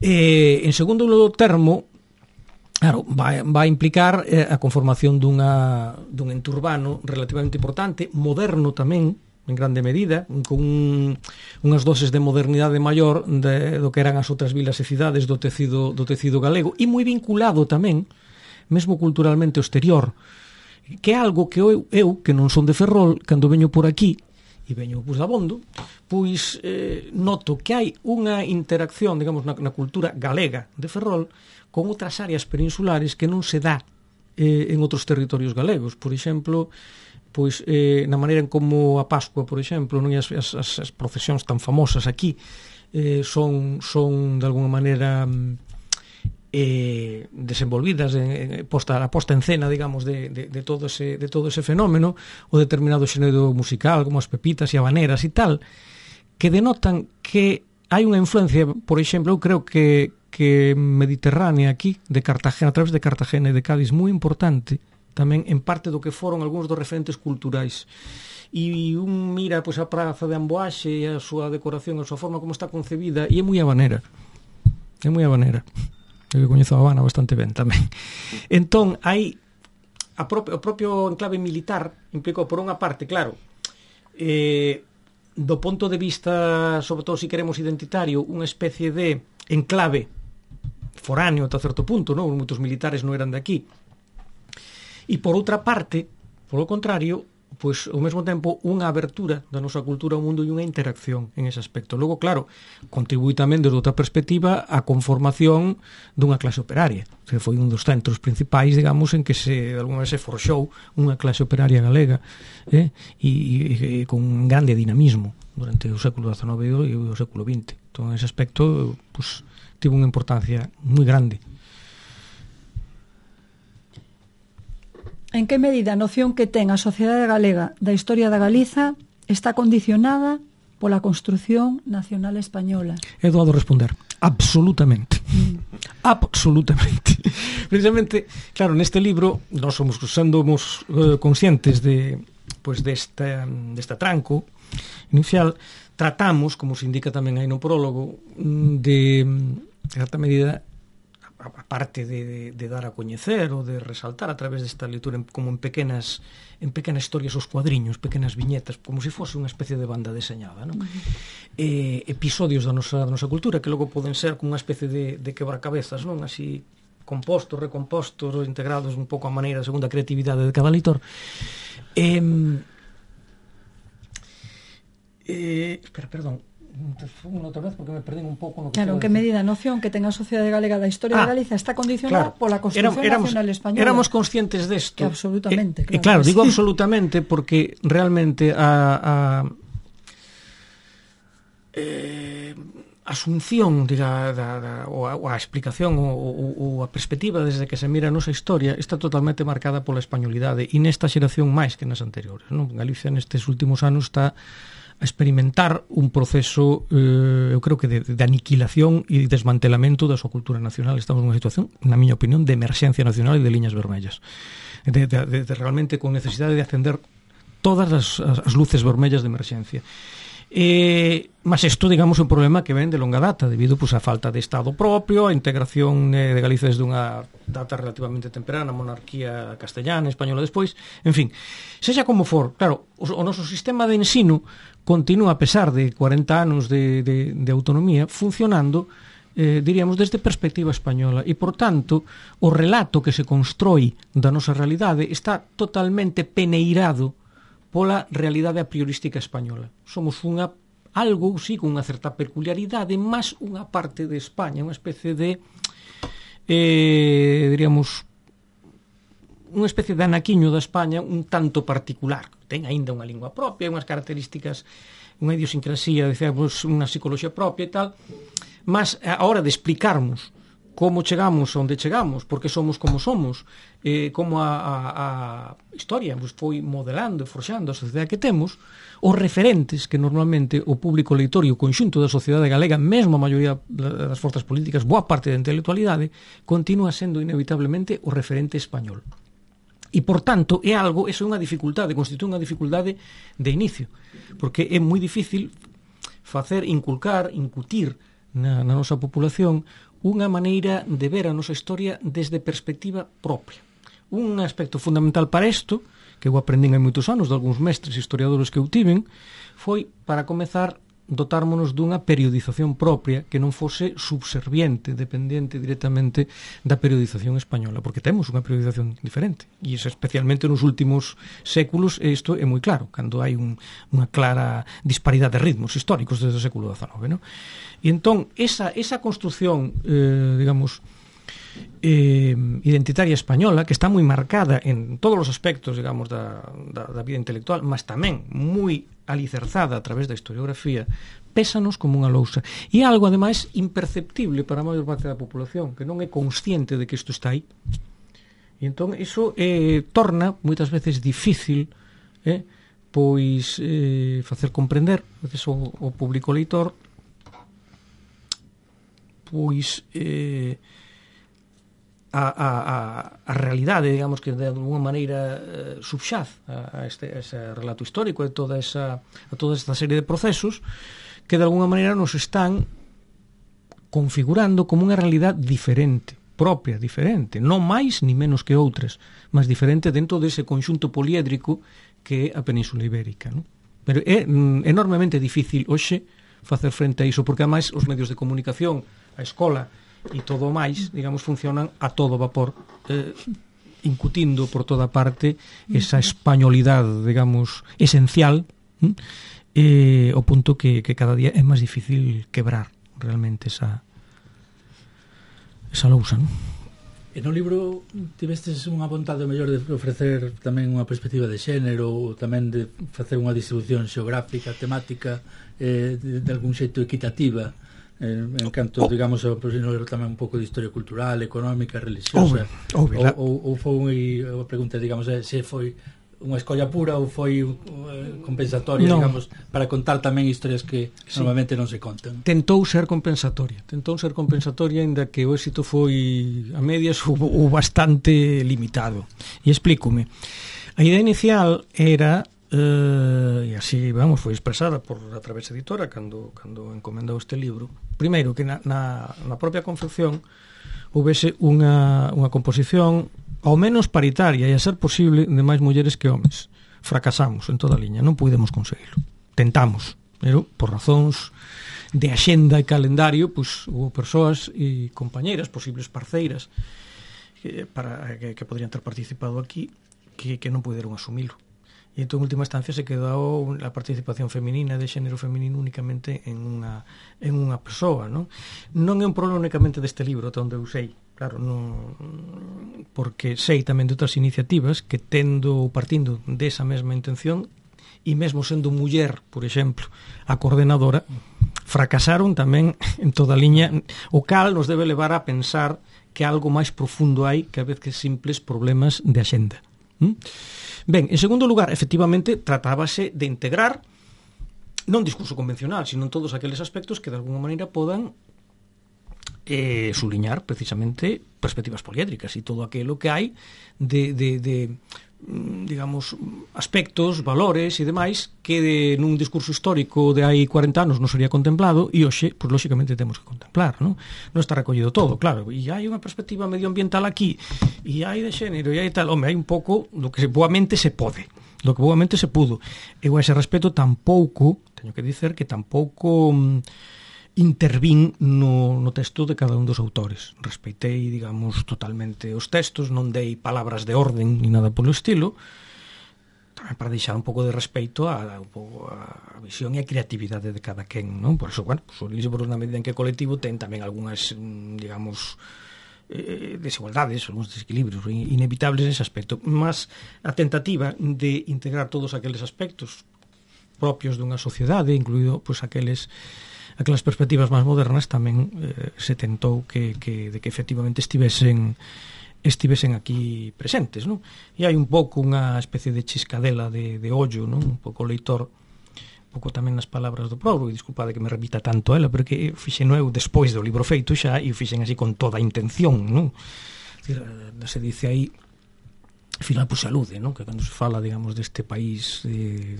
Eh, en segundo termo, claro, vai, vai implicar eh, a conformación dunha, dun ente urbano relativamente importante, moderno tamén, en grande medida, con un, unhas doses de modernidade maior de, do que eran as outras vilas e cidades do tecido, do tecido galego, e moi vinculado tamén, mesmo culturalmente ao exterior, que é algo que eu, eu que non son de Ferrol, cando veño por aquí e veño pois, da Bondo, pois eh, noto que hai unha interacción, digamos, na, na cultura galega de Ferrol con outras áreas peninsulares que non se dá eh, en outros territorios galegos. Por exemplo, pois eh, na maneira en como a Pascua, por exemplo, non as, as, as procesións tan famosas aquí eh, son, son de alguna maneira eh, desenvolvidas en, en, posta, a posta en cena, digamos, de, de, de, todo ese, de todo ese fenómeno, o determinado xénero musical, como as pepitas e habaneras e tal, que denotan que hai unha influencia, por exemplo, eu creo que, que mediterránea aquí, de Cartagena, a través de Cartagena e de Cádiz, moi importante, tamén en parte do que foron algúns dos referentes culturais. E un mira pois, a praza de Amboaxe e a súa decoración, a súa forma como está concebida, e é moi habanera. É moi habanera. Eu coñezo a Habana bastante ben tamén. Entón, hai a propio, o propio enclave militar implicou, por unha parte, claro, eh, do ponto de vista, sobre todo se queremos identitario, unha especie de enclave foráneo ata certo punto, non? Moitos militares non eran de aquí. E por outra parte, polo contrario, pois ao mesmo tempo unha abertura da nosa cultura ao mundo e unha interacción en ese aspecto. Logo, claro, contribui tamén desde outra perspectiva a conformación dunha clase operaria, que foi un dos centros principais, digamos, en que se de alguna vez se forxou unha clase operaria galega, eh? e, e, e con un grande dinamismo durante o século dezenove e o século vinte. Entón, en ese aspecto, pois, tivo unha importancia moi grande. En que medida a noción que ten a sociedade galega da historia da Galiza está condicionada pola construción nacional española? É doado responder. Absolutamente. Mm. Absolutamente. Precisamente, claro, neste libro nós somos, somos uh, conscientes de, pues, desta, desta tranco inicial, tratamos, como se indica tamén aí no prólogo, de, de certa medida, a parte de, de, de dar a coñecer ou de resaltar a través desta lectura en, como en pequenas en pequenas historias os cuadriños, pequenas viñetas, como se fose unha especie de banda deseñada, non? Uh-huh. Eh, episodios da nosa, da nosa cultura que logo poden ser como unha especie de, de quebracabezas, non? Así compostos, recompostos, integrados un pouco a maneira segunda a creatividade de cada leitor. Eh, eh, espera, perdón, outra vez porque me perdín un pouco no que claro, en que medida a noción que ten a sociedade galega da historia ah, de Galiza está condicionada claro, pola construción éramos, nacional española. Éramos conscientes desto. Que absolutamente, eh, claro. claro, digo sí. absolutamente porque realmente a, a eh, asunción, diga, da, da, ou, a, ou a explicación ou, ou, ou a perspectiva desde que se mira a nosa historia está totalmente marcada pola españolidade e nesta xeración máis que nas anteriores, non? Galicia nestes últimos anos está a experimentar un proceso, eh, eu creo que de, de aniquilación e desmantelamento da súa cultura nacional. Estamos nunha situación, na miña opinión, de emerxencia nacional e de liñas vermellas. De, de, de, de realmente con necesidade de acender todas as, as luces vermellas de emerxencia. Eh, mas isto, digamos, é un problema que ven de longa data debido pues, a falta de Estado propio, a integración eh, de Galicia desde unha data relativamente temprana, monarquía castellana, española despois, en fin, sexa como for, claro, o, o noso sistema de ensino continúa a pesar de cuarenta anos de, de, de autonomía funcionando, eh, diríamos, desde perspectiva española e, por tanto, o relato que se constroi da nosa realidade está totalmente peneirado pola realidade a priorística española. Somos unha algo, sí, con unha certa peculiaridade, máis unha parte de España, unha especie de eh, diríamos unha especie de anaquiño da España un tanto particular. Ten aínda unha lingua propia, unhas características, unha idiosincrasía, decíamos, unha psicología propia e tal, mas a hora de explicarmos como chegamos onde chegamos, porque somos como somos, eh, como a, a, a historia pues, foi modelando e forxando a sociedade que temos, os referentes que normalmente o público leitor e o conxunto da sociedade galega, mesmo a maioría das forzas políticas, boa parte da intelectualidade, continúa sendo inevitablemente o referente español. E, por tanto, é algo, eso é unha dificultade, constitúe unha dificultade de inicio, porque é moi difícil facer, inculcar, incutir na, na nosa populación unha maneira de ver a nosa historia desde perspectiva propia. Un aspecto fundamental para isto, que eu aprendín hai moitos anos de algúns mestres historiadores que eu tiven, foi, para comezar, dotármonos dunha periodización propia que non fose subserviente, dependente directamente da periodización española, porque temos unha periodización diferente, e iso especialmente nos últimos séculos, isto é moi claro, cando hai un, unha clara disparidade de ritmos históricos desde o século dezenove, non? E entón, esa, esa construción, eh, digamos, eh, identitaria española, que está moi marcada en todos os aspectos, digamos, da, da, da vida intelectual, mas tamén moi alicerzada a través da historiografía, pésanos como unha lousa. E é algo, ademais, imperceptible para a maior parte da población, que non é consciente de que isto está aí. E entón, iso eh, torna, moitas veces, difícil eh, pois eh, facer comprender, veces, o, o público leitor, pois eh, a, a, a, a realidade, digamos, que de alguma maneira eh, subxaz a, a, este, a ese relato histórico e toda esa, a toda esta serie de procesos que de alguna maneira nos están configurando como unha realidade diferente, propia, diferente, non máis ni menos que outras, mas diferente dentro dese conxunto poliédrico que é a Península Ibérica, non? Pero é mm, enormemente difícil hoxe facer frente a iso, porque ademais os medios de comunicación, a escola e todo o máis, digamos, funcionan a todo vapor, eh, incutindo por toda parte esa españolidade, digamos, esencial, hm? eh, o punto que, que cada día é máis difícil quebrar realmente esa esa lousa, non? E no libro tivestes unha vontade mellor de ofrecer tamén unha perspectiva de xénero, ou tamén de facer unha distribución xeográfica, temática, eh, de, de algún xeito equitativa, en, en canto, digamos, ao posible tamén un pouco de historia cultural, económica, religiosa, ou, ou, ou, ou foi a pregunta, digamos, é, se foi unha escolla pura ou foi uh, compensatoria, no. digamos, para contar tamén historias que sí. normalmente non se contan. Tentou ser compensatoria, tentou ser compensatoria, ainda que o éxito foi a medias ou, ou bastante limitado. E explícome. A idea inicial era Uh, e así, vamos, foi expresada por a Través Editora cando, cando encomendou este libro. Primeiro, que na, na, na propia confección houvese unha, unha composición ao menos paritaria e a ser posible de máis mulleres que homes. Fracasamos en toda a liña, non pudemos conseguirlo. Tentamos, pero por razóns de axenda e calendario, pois hubo persoas e compañeiras, posibles parceiras que, para, que, que podrían ter participado aquí que, que non puderon asumilo. E entón, en última instancia, se quedou a participación feminina de xénero feminino únicamente en unha, en unha persoa, non? Non é un problema únicamente deste libro, onde eu sei, claro, non, porque sei tamén de outras iniciativas que tendo ou partindo desa mesma intención e mesmo sendo muller, por exemplo, a coordenadora, fracasaron tamén en toda a liña, o cal nos debe levar a pensar que algo máis profundo hai que a vez que simples problemas de axenda. ¿Mm? Ben, en segundo lugar, efectivamente, tratábase de integrar non discurso convencional, sino todos aqueles aspectos que de alguna maneira podan eh, suliñar precisamente perspectivas poliédricas e todo aquilo que hai de, de, de digamos, aspectos, valores e demais que de, nun discurso histórico de hai cuarenta anos non sería contemplado e hoxe, pois, lóxicamente, temos que contemplar, non? Non está recollido todo, claro, e hai unha perspectiva medioambiental aquí e hai de xénero e hai tal, home, hai un pouco do que boamente se pode, do que boamente se pudo. Eu a ese respecto tampouco, teño que dicer que tampouco intervín no, no texto de cada un dos autores. Respeitei, digamos, totalmente os textos, non dei palabras de orden ni nada polo estilo, tamén para deixar un pouco de respeito a, a, a visión e a creatividade de cada quen, non? Por eso, bueno, pues, o libro, na medida en que colectivo, ten tamén algunhas, digamos, eh, desigualdades, algúns desequilibrios inevitables nese aspecto, mas a tentativa de integrar todos aqueles aspectos propios dunha sociedade, incluído, pois, aqueles aquelas perspectivas máis modernas, tamén eh, se tentou que, que, de que efectivamente estivesen estivesen aquí presentes, non? E hai un pouco unha especie de chiscadela de, de ollo, non? Un pouco leitor, un pouco tamén nas palabras do prólogo, e disculpade que me repita tanto ela, porque fixen eu despois do libro feito xa, e fixen así con toda a intención, non? Decir, se dice aí, ao final, pois, alude, non? Que cando se fala, digamos, deste país de,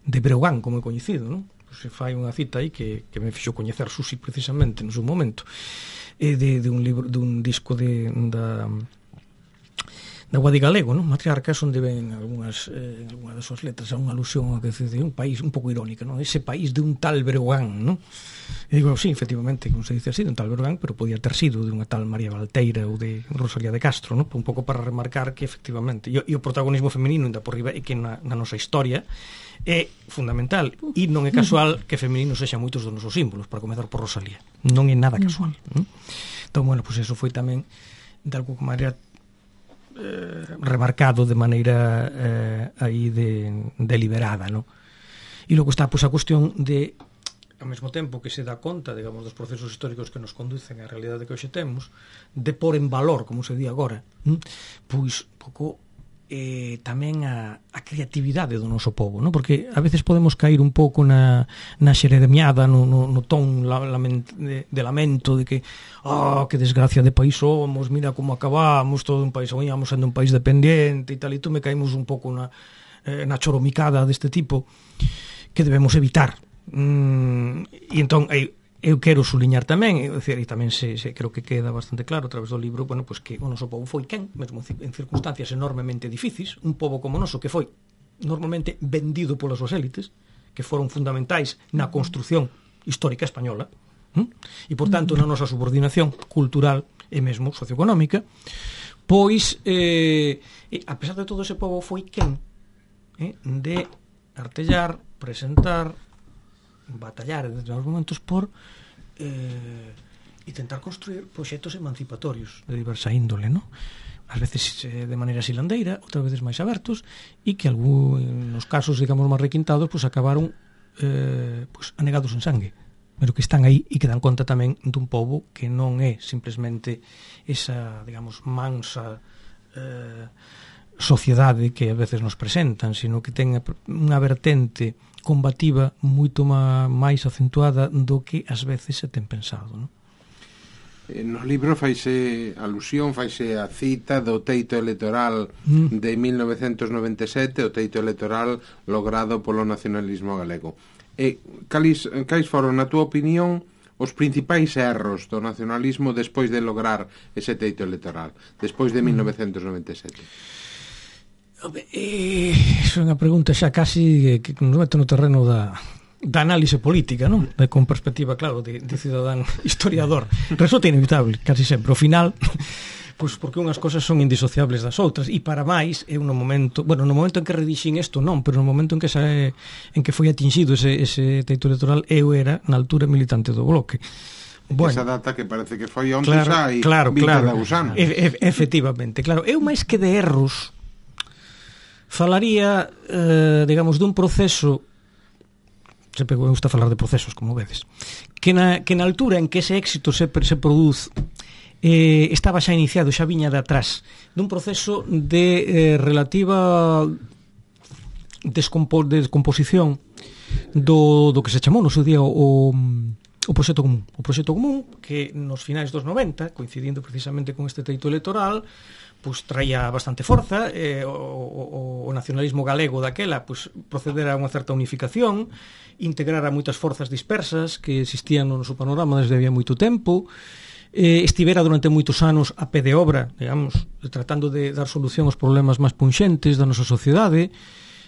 de Breogán, como é coñecido, non? Se fai unha cita aí que, que me fixo coñecer Susi precisamente no seu momento, e de, de un libro, de un disco de, da, da Guadi Galego, non? Matriarcas, onde ven algunhas, eh, algunhas das súas letras a unha alusión a que de un país un pouco irónica, non? Ese país de un tal Breogán, non? E digo, sí, efectivamente, como se dice así, de un tal Breogán, pero podía ter sido de unha tal María Valteira ou de Rosalía de Castro, non? Un pouco para remarcar que efectivamente, e, e o protagonismo femenino ainda por riba, e que na, na nosa historia é fundamental, e non é casual que femenino sexan moitos dos nosos símbolos, para comezar por Rosalía, non é nada casual, non? Entón, bueno, pois pues eso foi tamén de alguma maneira eh, remarcado de maneira eh, aí de, deliberada, non? E logo está pois a cuestión de, ao mesmo tempo que se dá conta, digamos, dos procesos históricos que nos conducen á realidade que hoxe temos, de pôr en valor, como se di agora, hm? pois pouco eh, tamén a, a creatividade do noso povo, non? Porque a veces podemos cair un pouco na, na xeremiada, no, no, no ton la, lament, de, de lamento de que, ah, oh, que desgracia de país somos, mira como acabamos, todo un país, oíamos sendo un país dependiente e tal, e tú me caímos un pouco na, eh, na choromicada deste tipo que debemos evitar. Mm, e entón, eu, eu quero suliñar tamén, é dicir, e tamén se, se creo que queda bastante claro a través do libro, bueno, pues que o noso povo foi quen, mesmo en circunstancias enormemente difíciles, un povo como noso que foi normalmente vendido polas súas élites, que foron fundamentais na construción histórica española, ¿eh? E por tanto na nosa subordinación cultural e mesmo socioeconómica, pois eh, a pesar de todo ese povo foi quen eh, de artellar, presentar, batallar en determinados momentos por eh, intentar construir proxectos emancipatorios de diversa índole, ¿no? Ás veces eh, de maneira silandeira, outras veces máis abertos, e que algúns casos, digamos, máis requintados, pues acabaron eh, pues, anegados en sangue, pero que están aí e que dan conta tamén dun pobo que non é simplesmente esa, digamos, mansa eh, sociedade que a veces nos presentan, sino que ten unha vertente combativa moito máis acentuada do que ás veces se ten pensado, non? No libro faise alusión, faise a cita do teito electoral mm. de mil novecentos noventa e sete, o teito electoral logrado polo nacionalismo galego. E cais, cais foron, na túa opinión, os principais erros do nacionalismo despois de lograr ese teito electoral, despois de mil novecentos noventa e sete? Eh, é unha pregunta xa casi que nos mete no terreno da, da análise política, non? De, con perspectiva, claro, de, de cidadán historiador. Resulta inevitable, casi sempre. Ao final, pois porque unhas cosas son indisociables das outras, e para máis é un momento, bueno, no momento en que redixín isto non, pero no momento en que xa é, en que foi atingido ese, ese teito electoral, eu era na altura militante do Bloque. Bueno, esa data que parece que foi onte claro, xa e claro, vinte claro, de agusano. E, e, efectivamente, claro. Eu máis que de erros falaría, eh, digamos, dun proceso, sempre me gusta falar de procesos, como vedes, que na, que na altura en que ese éxito se, se produz eh, estaba xa iniciado, xa viña de atrás, dun proceso de eh, relativa descompo, de descomposición do, do que se chamou no seu día o, o proxecto común. O proxecto común que nos finais dos noventa, coincidindo precisamente con este teito electoral, pues traía bastante forza, eh, o, o, o nacionalismo galego daquela pues, procedera a unha certa unificación, integrar a moitas forzas dispersas que existían no noso panorama desde había moito tempo, eh, estivera durante moitos anos a pé de obra, digamos, tratando de dar solución aos problemas máis punxentes da nosa sociedade,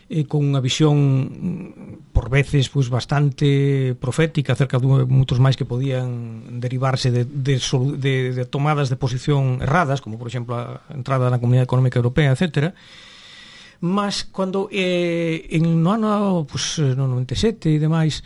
eh, con unha visión por veces pues, bastante profética acerca de moitos máis que podían derivarse de, de, de, de tomadas de posición erradas, como por exemplo a entrada na Comunidade Económica Europea, etcétera. Mas cando eh, en no ano pues, no noventa e sete e demais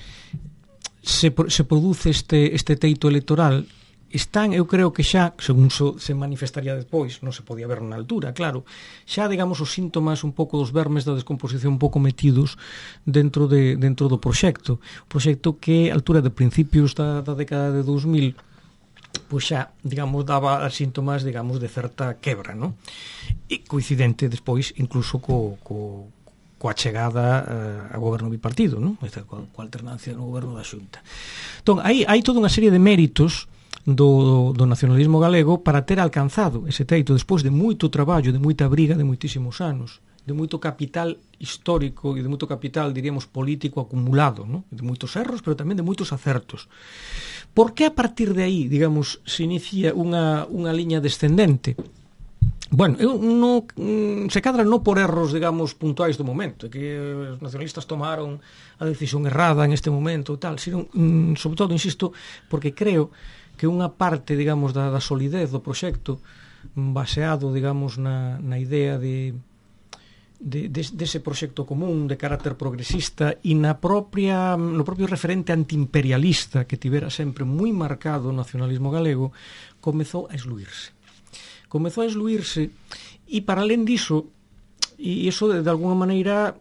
se, se produce este, este teito electoral, están, eu creo que xa, según so, se manifestaría despois, non se podía ver na altura, claro, xa, digamos, os síntomas un pouco dos vermes da descomposición un pouco metidos dentro de dentro do proxecto. O proxecto que, a altura de principios da, da década de dous mil, pois xa, digamos, daba síntomas, digamos, de certa quebra, non? E coincidente despois, incluso co, co, coa chegada uh, a goberno bipartido, non? Coa, coa alternancia no goberno da Xunta. Entón, hai, hai toda unha serie de méritos Do, do nacionalismo galego para ter alcanzado ese teito despois de moito traballo, de moita briga de moitísimos anos, de moito capital histórico e de moito capital, diríamos, político acumulado, ¿no? De moitos erros, pero tamén de moitos acertos. Por que a partir de aí, digamos, se inicia unha, unha liña descendente? Bueno, eu no, se cadra non por erros, digamos, puntuais do momento, que os nacionalistas tomaron a decisión errada en este momento e tal, sino, sobre todo, insisto, porque creo que unha parte, digamos, da, da solidez do proxecto baseado, digamos, na, na idea de, de, de dese proxecto común de carácter progresista e na propia, no propio referente antiimperialista que tivera sempre moi marcado o nacionalismo galego, comezou a esluírse. Comezou a esluírse e para alén diso, e iso de, de alguna maneira,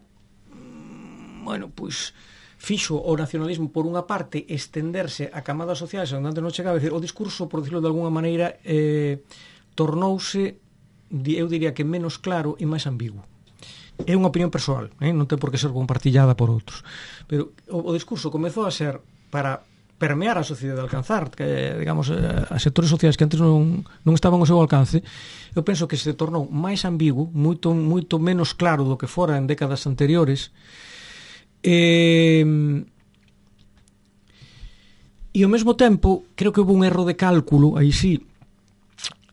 bueno, pois fixo o nacionalismo por unha parte estenderse a camadas sociais onde antes non chegaba, decir, o discurso, por decirlo de alguna maneira, eh, tornouse, eu diría que menos claro e máis ambiguo. É unha opinión persoal, eh? Non ten por que ser compartillada por outros, pero o, o discurso comezou a ser para permear a sociedade, alcanzar, que, digamos, a sectores sociais que antes non, non estaban ao seu alcance. Eu penso que se tornou máis ambiguo, moito, moito menos claro do que fora en décadas anteriores, e, e ao mesmo tempo creo que houve un erro de cálculo, aí sí,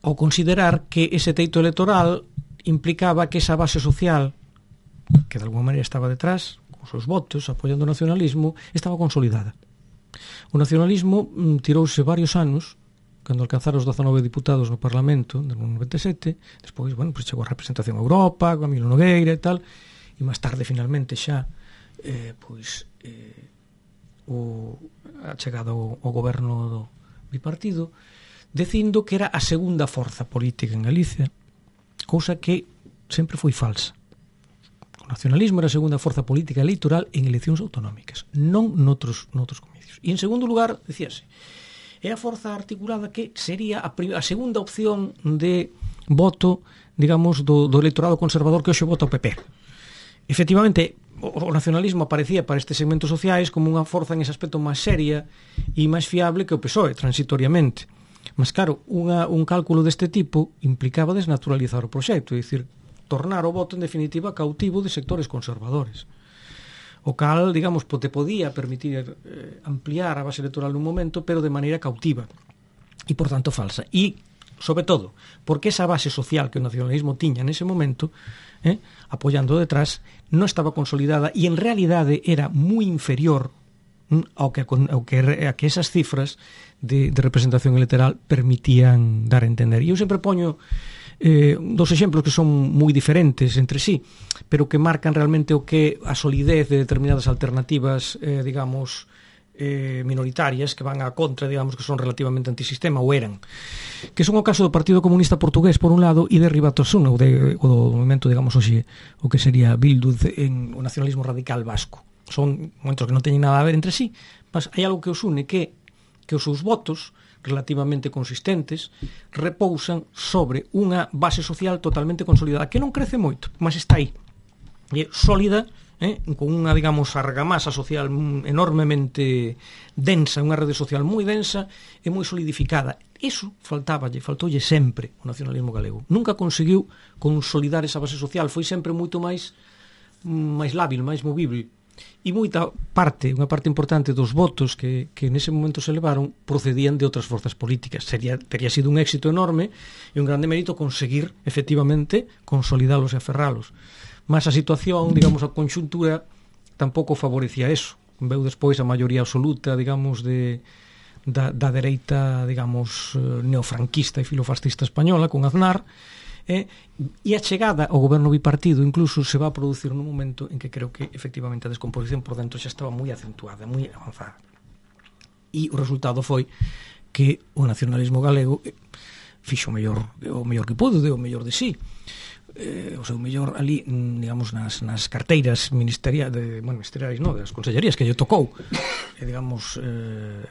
ao considerar que ese teito electoral implicaba que esa base social, que de alguma maneira estaba detrás, con os seus votos, apoiando o nacionalismo, estaba consolidada. O nacionalismo mm, tirouse varios anos, cando alcanzaron os dezanove diputados no Parlamento, no noventa e sete, despois, bueno, pues chegou a representación a Europa, a Camilo Nogueira e tal, e máis tarde, finalmente, xa, eh, pois, eh, o, a chegada ao, ao goberno do bipartido, dicindo que era a segunda forza política en Galicia, cousa que sempre foi falsa. O nacionalismo era a segunda forza política electoral en eleccións autonómicas, non noutros, noutros comicios. E en segundo lugar, decíase, é a forza articulada que sería a, a segunda opción de voto, digamos, do, do electorado conservador que hoxe vota o P P. Efectivamente, o, o nacionalismo aparecía para estes segmentos sociais como unha forza en ese aspecto máis seria e máis fiable que o P S O E, transitoriamente. Mas, claro, unha, un cálculo deste tipo implicaba desnaturalizar o proxecto, é dicir, tornar o voto, en definitiva, cautivo de sectores conservadores. O cal, digamos, te podía permitir eh, ampliar a base electoral nun momento, pero de maneira cautiva e, por tanto, falsa. E, sobre todo, porque esa base social que o nacionalismo tiña nese momento, eh, apoiando detrás, non estaba consolidada e, en realidade, era moi inferior mm, ao, que, ao que, a que esas cifras de, de representación electoral permitían dar a entender. E eu sempre poño Eh, dos exemplos que son moi diferentes entre sí, pero que marcan realmente o que a solidez de determinadas alternativas, eh, digamos, eh, minoritarias que van a contra, digamos, que son relativamente antisistema ou eran, que son o caso do Partido Comunista Portugués por un lado e de Ribateson, ou, de, ou do movimento, digamos, hoxe, o que sería Bildu en o nacionalismo radical vasco. Son momentos que non teñen nada a ver entre sí, mas hai algo que os une, que, que os seus votos relativamente consistentes, repousan sobre unha base social totalmente consolidada, que non crece moito, mas está aí, e sólida, eh, con unha, digamos, argamasa social enormemente densa, unha rede social moi densa e moi solidificada. Iso faltáballe, faltoulle sempre o nacionalismo galego. Nunca conseguiu consolidar esa base social, foi sempre moito máis máis lábil, máis movible. E moita parte, unha parte importante dos votos que, que nese momento se levaron procedían de outras forzas políticas. Sería, tería sido un éxito enorme e un grande mérito conseguir efectivamente consolidalos e aferralos. Mas a situación, digamos, a conxuntura tampouco favorecía eso. Veu despois a maioría absoluta, digamos, de, da, da dereita, digamos, neofranquista e filofascista española con Aznar, Eh, e a chegada ao goberno bipartido incluso se va a producir nun momento en que creo que efectivamente a descomposición por dentro xa estaba moi acentuada, moi avanzada, e o resultado foi que o nacionalismo galego eh, fixo o mellor, o mellor que pudo, deu o mellor de sí, eh, o seu mellor ali, digamos, nas, nas carteiras ministeriais, de, bueno, ministeriais non, das consellerías que lle tocou, eh, digamos, eh,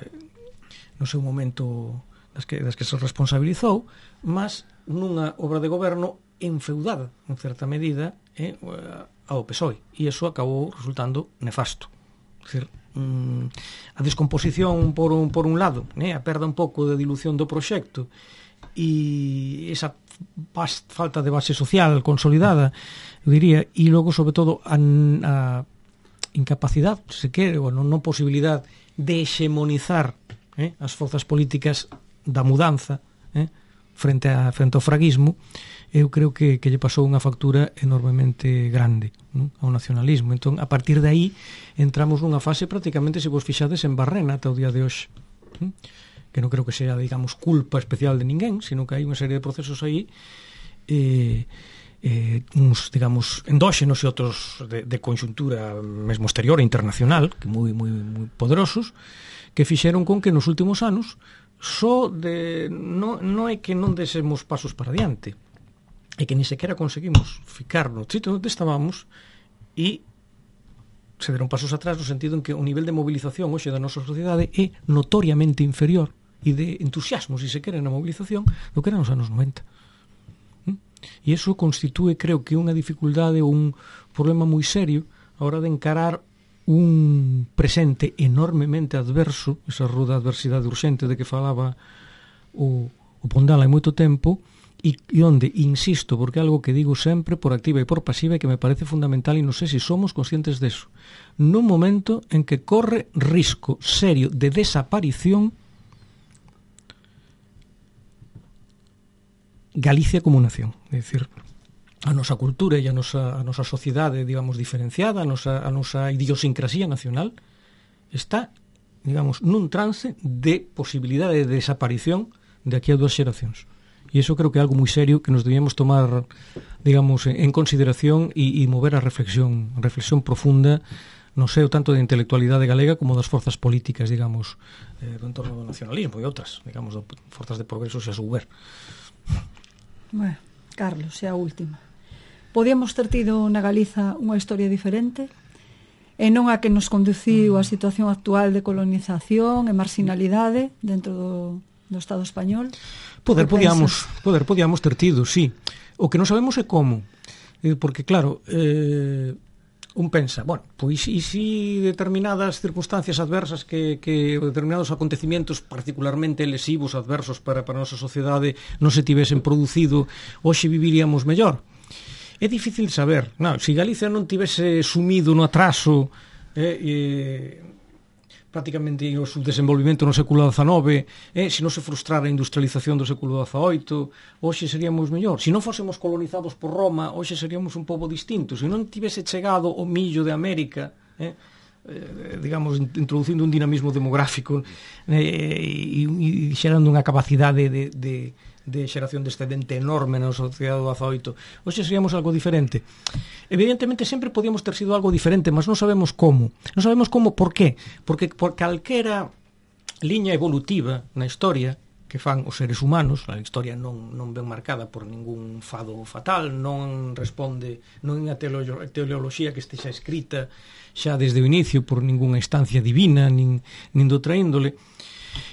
no seu momento das que, das que se responsabilizou, mas nunha obra de goberno enfeudada, en certa medida, eh, ao P S O E, e iso acabou resultando nefasto. É dicir, mm, a descomposición por un, por un lado, eh, a perda un pouco de dilución do proxecto e esa falta de base social consolidada, eu diría, e logo, sobre todo, a, a incapacidade, se quere, ou non, non posibilidade de hexemonizar eh, as forzas políticas da mudanza, eh, frente, a, frente ao fraguismo, eu creo que, que lle pasou unha factura enormemente grande, non? Ao nacionalismo. Entón, a partir de aí entramos nunha fase prácticamente, se vos fixades, en barrena ata o día de hoxe, non? Que non creo que sea, digamos, culpa especial de ninguén, sino que hai unha serie de procesos aí, eh, eh, uns, digamos, endóxenos e outros de, de conxuntura mesmo exterior e internacional, que moi, moi, moi poderosos, que fixeron con que nos últimos anos só de, non, non é que non desemos pasos para diante, é que ni sequera conseguimos ficar no sitio onde estábamos e se deron pasos atrás no sentido en que o nivel de movilización hoxe da nosa sociedade é notoriamente inferior e de entusiasmo, se se quere, na movilización do que era nos anos noventa. E iso constitúe, creo que, unha dificultade ou un problema moi serio a hora de encarar un presente enormemente adverso, esa ruda adversidade urxente de que falaba o, o Pondal hai moito tempo, e, e onde, insisto, porque é algo que digo sempre por activa e por pasiva e que me parece fundamental, e non sei se somos conscientes deso, nun momento en que corre risco serio de desaparición Galicia como nación, é dicir, a nosa cultura e a nosa, a nosa sociedade, digamos, diferenciada, a nosa, a nosa idiosincrasía nacional está, digamos, nun trance de posibilidade de desaparición de aquí a dúas xeracións. E iso creo que é algo moi serio que nos debíamos tomar, digamos, en consideración e, e mover a reflexión, a reflexión profunda no seo tanto da intelectualidade galega como das forzas políticas, digamos, eh, do entorno do nacionalismo e outras, digamos, do, forzas de progreso se a souber. Bueno, Carlos, é a última. Podíamos ter tido na Galiza unha historia diferente e non a que nos conduciu a situación actual de colonización e marginalidade dentro do, do Estado español? Poder podíamos, poder podíamos ter tido, sí. O que non sabemos é como. Porque, claro, eh, un pensa, bueno, pois e si determinadas circunstancias adversas que, que determinados acontecimientos particularmente lesivos, adversos para, para a nosa sociedade non se tivesen producido, hoxe viviríamos mellor. É difícil saber. Non, se Galicia non tivese sumido no atraso eh, eh, prácticamente o subdesenvolvimento no século dezanove, eh, se non se frustrara a industrialización do século dezaoito, hoxe seríamos mellor. Se non fósemos colonizados por Roma, hoxe seríamos un pobo distinto. Se non tivese chegado o millo de América, eh, eh, digamos, introducindo un dinamismo demográfico eh, e, e xerando unha capacidade de, de, de xeración de excedente enorme na sociedade do dezaoito, hoxe seríamos algo diferente. Evidentemente sempre podíamos ter sido algo diferente, mas non sabemos como. Non sabemos como, por qué? Porque por calquera liña evolutiva na historia que fan os seres humanos, a historia non, non ben marcada por ningún fado fatal, non responde, non é unha teleoloxía que estexa escrita xa desde o inicio por ningunha instancia divina, nin, nin doutra índole.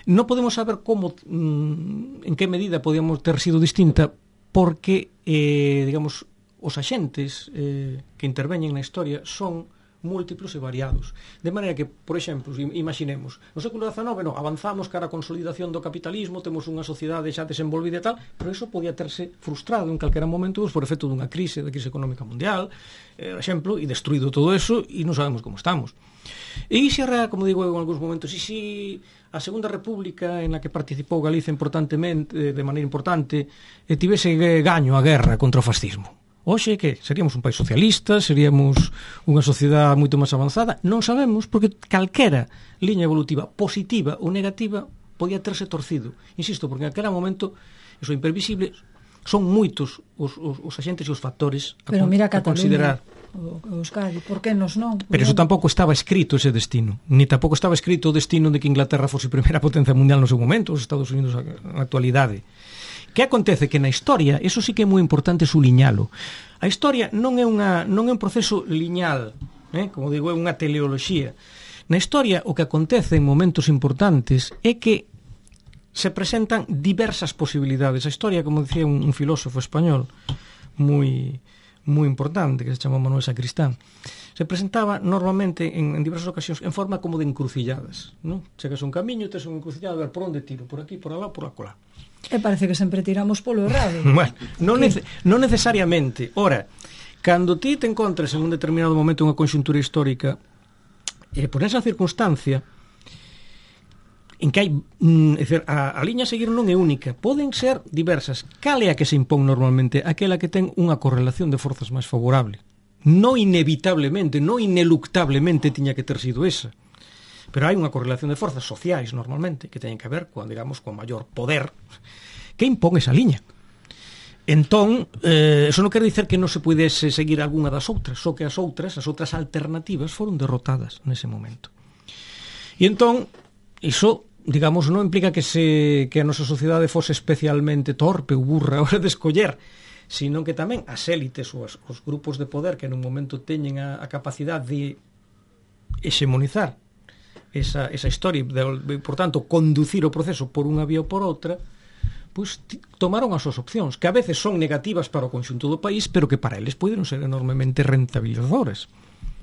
Non podemos saber como, en que medida podíamos ter sido distinta, porque, eh, digamos, os axentes eh, que interveñen na historia son múltiplos e variados. De maneira que, por exemplo, imaginemos, no século dezanove, no, avanzamos cara a consolidación do capitalismo, temos unha sociedade xa desenvolvida e tal, pero iso podía terse frustrado en calquera momento por efecto dunha crise, da crise económica mundial, eh, exemplo, e destruído todo eso, e non sabemos como estamos. E iso era, como digo eu en algúns momentos, e si a Segunda República, en la que participou Galiza importantemente, de maneira importante, e tivese gaño a guerra contra o fascismo. Hoxe, que? Seríamos un país socialista, seríamos unha sociedade moito máis avanzada? Non sabemos, porque calquera liña evolutiva, positiva ou negativa, podía terse torcido. Insisto, porque en aquele momento, iso é imprevisible, son moitos os, os, os agentes e os factores a, Pero mira a considerar. O Euskadi, por que nos non? Pero iso tampouco estaba escrito ese destino, ni tampouco estaba escrito o destino de que Inglaterra fose primeira potencia mundial no seu momento, os Estados Unidos na actualidade. Que acontece? Que na historia, eso sí que é moi importante suliñalo. A historia non é unha non é un proceso lineal, eh? Como digo, é unha teleoloxía. Na historia o que acontece en momentos importantes é que se presentan diversas posibilidades. A historia, como dicía un, un filósofo español moi moi importante, que se chama Manuel Sacristán, se presentaba normalmente en, en diversas ocasións en forma como de encrucilladas, non? Chegas a un camiño, tes unha encrucillada, a ver por onde tiro, por aquí, por alá, por acolá. E parece que sempre tiramos polo errado. Bueno, non, nece, non necesariamente. Ora, cando ti te encontres en un determinado momento unha conxuntura histórica, eh, por esa circunstancia, en que hai, mm, é dicir, a, a liña a seguir non é única, poden ser diversas. Cal é a que se impón normalmente? Aquela que ten unha correlación de forzas máis favorable. Non inevitablemente, non ineluctablemente tiña que ter sido esa, pero hai unha correlación de forzas sociais normalmente que teñen que ver con, digamos, con maior poder que impón esa liña. Entón, eh, eso non quere dicer que non se pudese seguir algunha das outras, só que as outras, as outras alternativas foron derrotadas nese momento. E entón, iso, digamos, non implica que se que a nosa sociedade fose especialmente torpe ou burra a hora de escoller, sino que tamén as élites ou as, os grupos de poder que nun momento teñen a, a capacidade de hexemonizar esa, esa historia, de, por tanto, conducir o proceso por unha vía ou por outra, pois tomaron as súas opcións, que a veces son negativas para o conxunto do país, pero que para eles poden ser enormemente rentabilizadoras,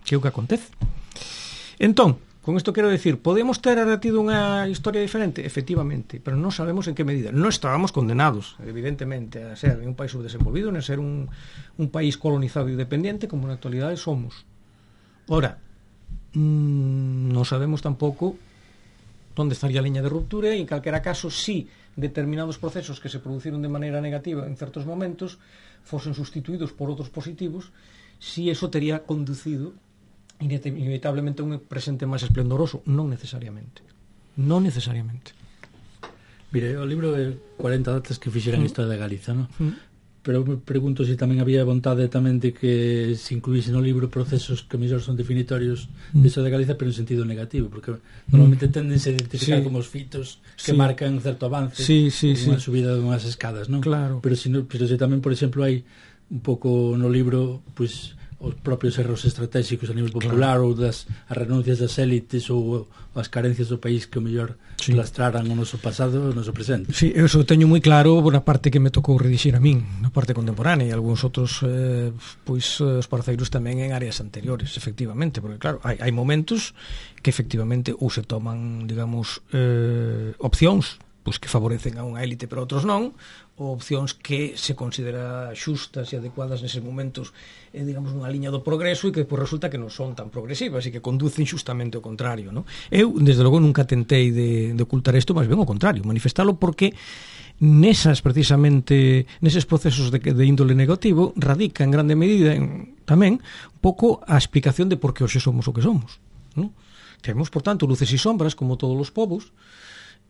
que é o que acontece. Entón, con isto quero decir, podemos ter tido unha historia diferente? Efectivamente, pero non sabemos en que medida. Non estábamos condenados, evidentemente, a ser un país subdesenvolvido, a ser un, un país colonizado e dependiente, como na actualidade somos. Ora, mmm, non sabemos tampouco onde estaría a liña de ruptura, e en calquera caso, si determinados procesos que se produciron de maneira negativa en certos momentos fosen sustituídos por outros positivos, si eso tería conducido inevitablemente a un presente máis esplendoroso. Non necesariamente. Non necesariamente. Mire, o libro é cuarenta datas que fixeran mm. historia de Galiza, non? Mm. Pero me pregunto se si tamén había vontade tamén de que se incluíse no libro procesos que mellor son definitorios mm. de historia de Galiza, pero en sentido negativo, porque normalmente mm. tendense a identificar sí. como os fitos que sí. marcan certo avance, sí, sí, unha sí. subida de unhas escadas, non? Claro. Pero se si, pero se si tamén, por exemplo, hai un pouco no libro, pois, os propios erros estratégicos a nivel popular, claro. ou das as renuncias das élites ou as carencias do país que o mellor sí. lastraran o noso pasado e o noso presente. Sí, eu eso teño moi claro na parte que me tocou redixir a min, na parte contemporánea, e algúns outros eh, pois os parceiros tamén en áreas anteriores, efectivamente, porque claro, hai, hai momentos que efectivamente ou se toman, digamos, eh, opcións pois que favorecen a unha élite pero outros non, ou opcións que se considera xustas e adecuadas neses momentos, eh, digamos, nunha liña do progreso, e que pois, resulta que non son tan progresivas e que conducen xustamente ao contrario, non? Eu, desde logo, nunca tentei de, de ocultar isto, mas ben ao contrario, manifestalo, porque nesas, precisamente, neses procesos de, de índole negativo radica en grande medida en, tamén un pouco a explicación de por que hoxe somos o que somos, non? Temos, por tanto, luces e sombras, como todos os povos,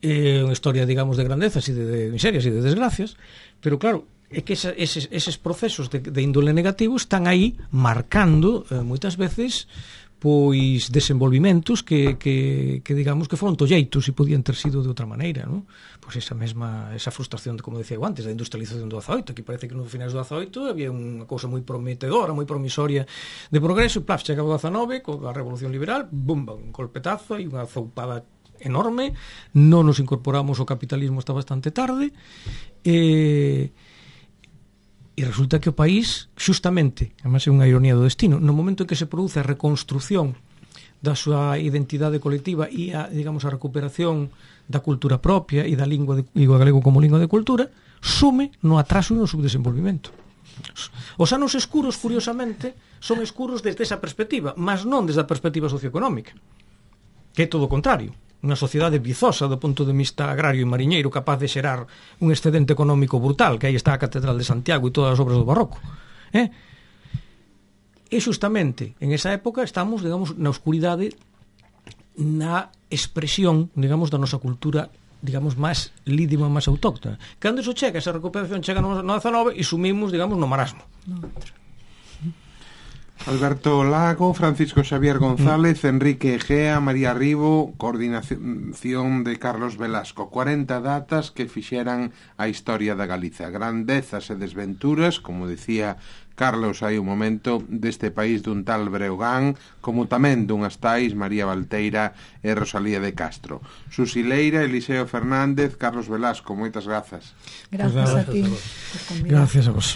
é unha historia, digamos, de grandezas e de, de miserias e de desgracias, pero claro, é que esa, eses, eses procesos de, de índole negativo están aí marcando eh, moitas veces pois desenvolvimentos que, que, que digamos que foron tolleitos e podían ter sido de outra maneira, non? Pois esa mesma, esa frustración de, como decía eu antes, da industrialización do dezaoito, que parece que nos finais do dezaoito había unha cousa moi prometedora, moi promisoria de progreso, e plaf, chegaba o dezanove coa Revolución Liberal, bum, un golpetazo e unha zoupada enorme, non nos incorporamos ao capitalismo hasta bastante tarde, e, e resulta que o país, xustamente, además é unha ironía do destino, no momento en que se produce a reconstrucción da súa identidade colectiva e a, digamos, a recuperación da cultura propia e da lingua de, lingua galego como lingua de cultura, sume no atraso e no subdesenvolvimento. Os anos escuros, curiosamente, son escuros desde esa perspectiva, mas non desde a perspectiva socioeconómica, que é todo o contrario. Unha sociedade vizosa do punto de vista agrario e mariñeiro, capaz de xerar un excedente económico brutal, que aí está a Catedral de Santiago e todas as obras do barroco. Eh? E xustamente en esa época estamos, digamos, na oscuridade, na expresión, digamos, da nosa cultura, digamos, máis lídima, máis autóctona. Cando iso chega, esa recuperación chega no dezanove e sumimos, digamos, no marasmo. No. Alberto Lago, Francisco Xavier González, Enrique Egea, María Ribo, coordinación de Carlos Velasco. cuarenta datas que fixeran a historia da Galiza. Grandezas e desventuras, como decía Carlos hai un momento, deste país dun tal Breogán, como tamén dunhas tais María Valteira e Rosalía de Castro. Susi Leira, Eliseo Fernández, Carlos Velasco, moitas grazas. Grazas a ti. Gracias a vos.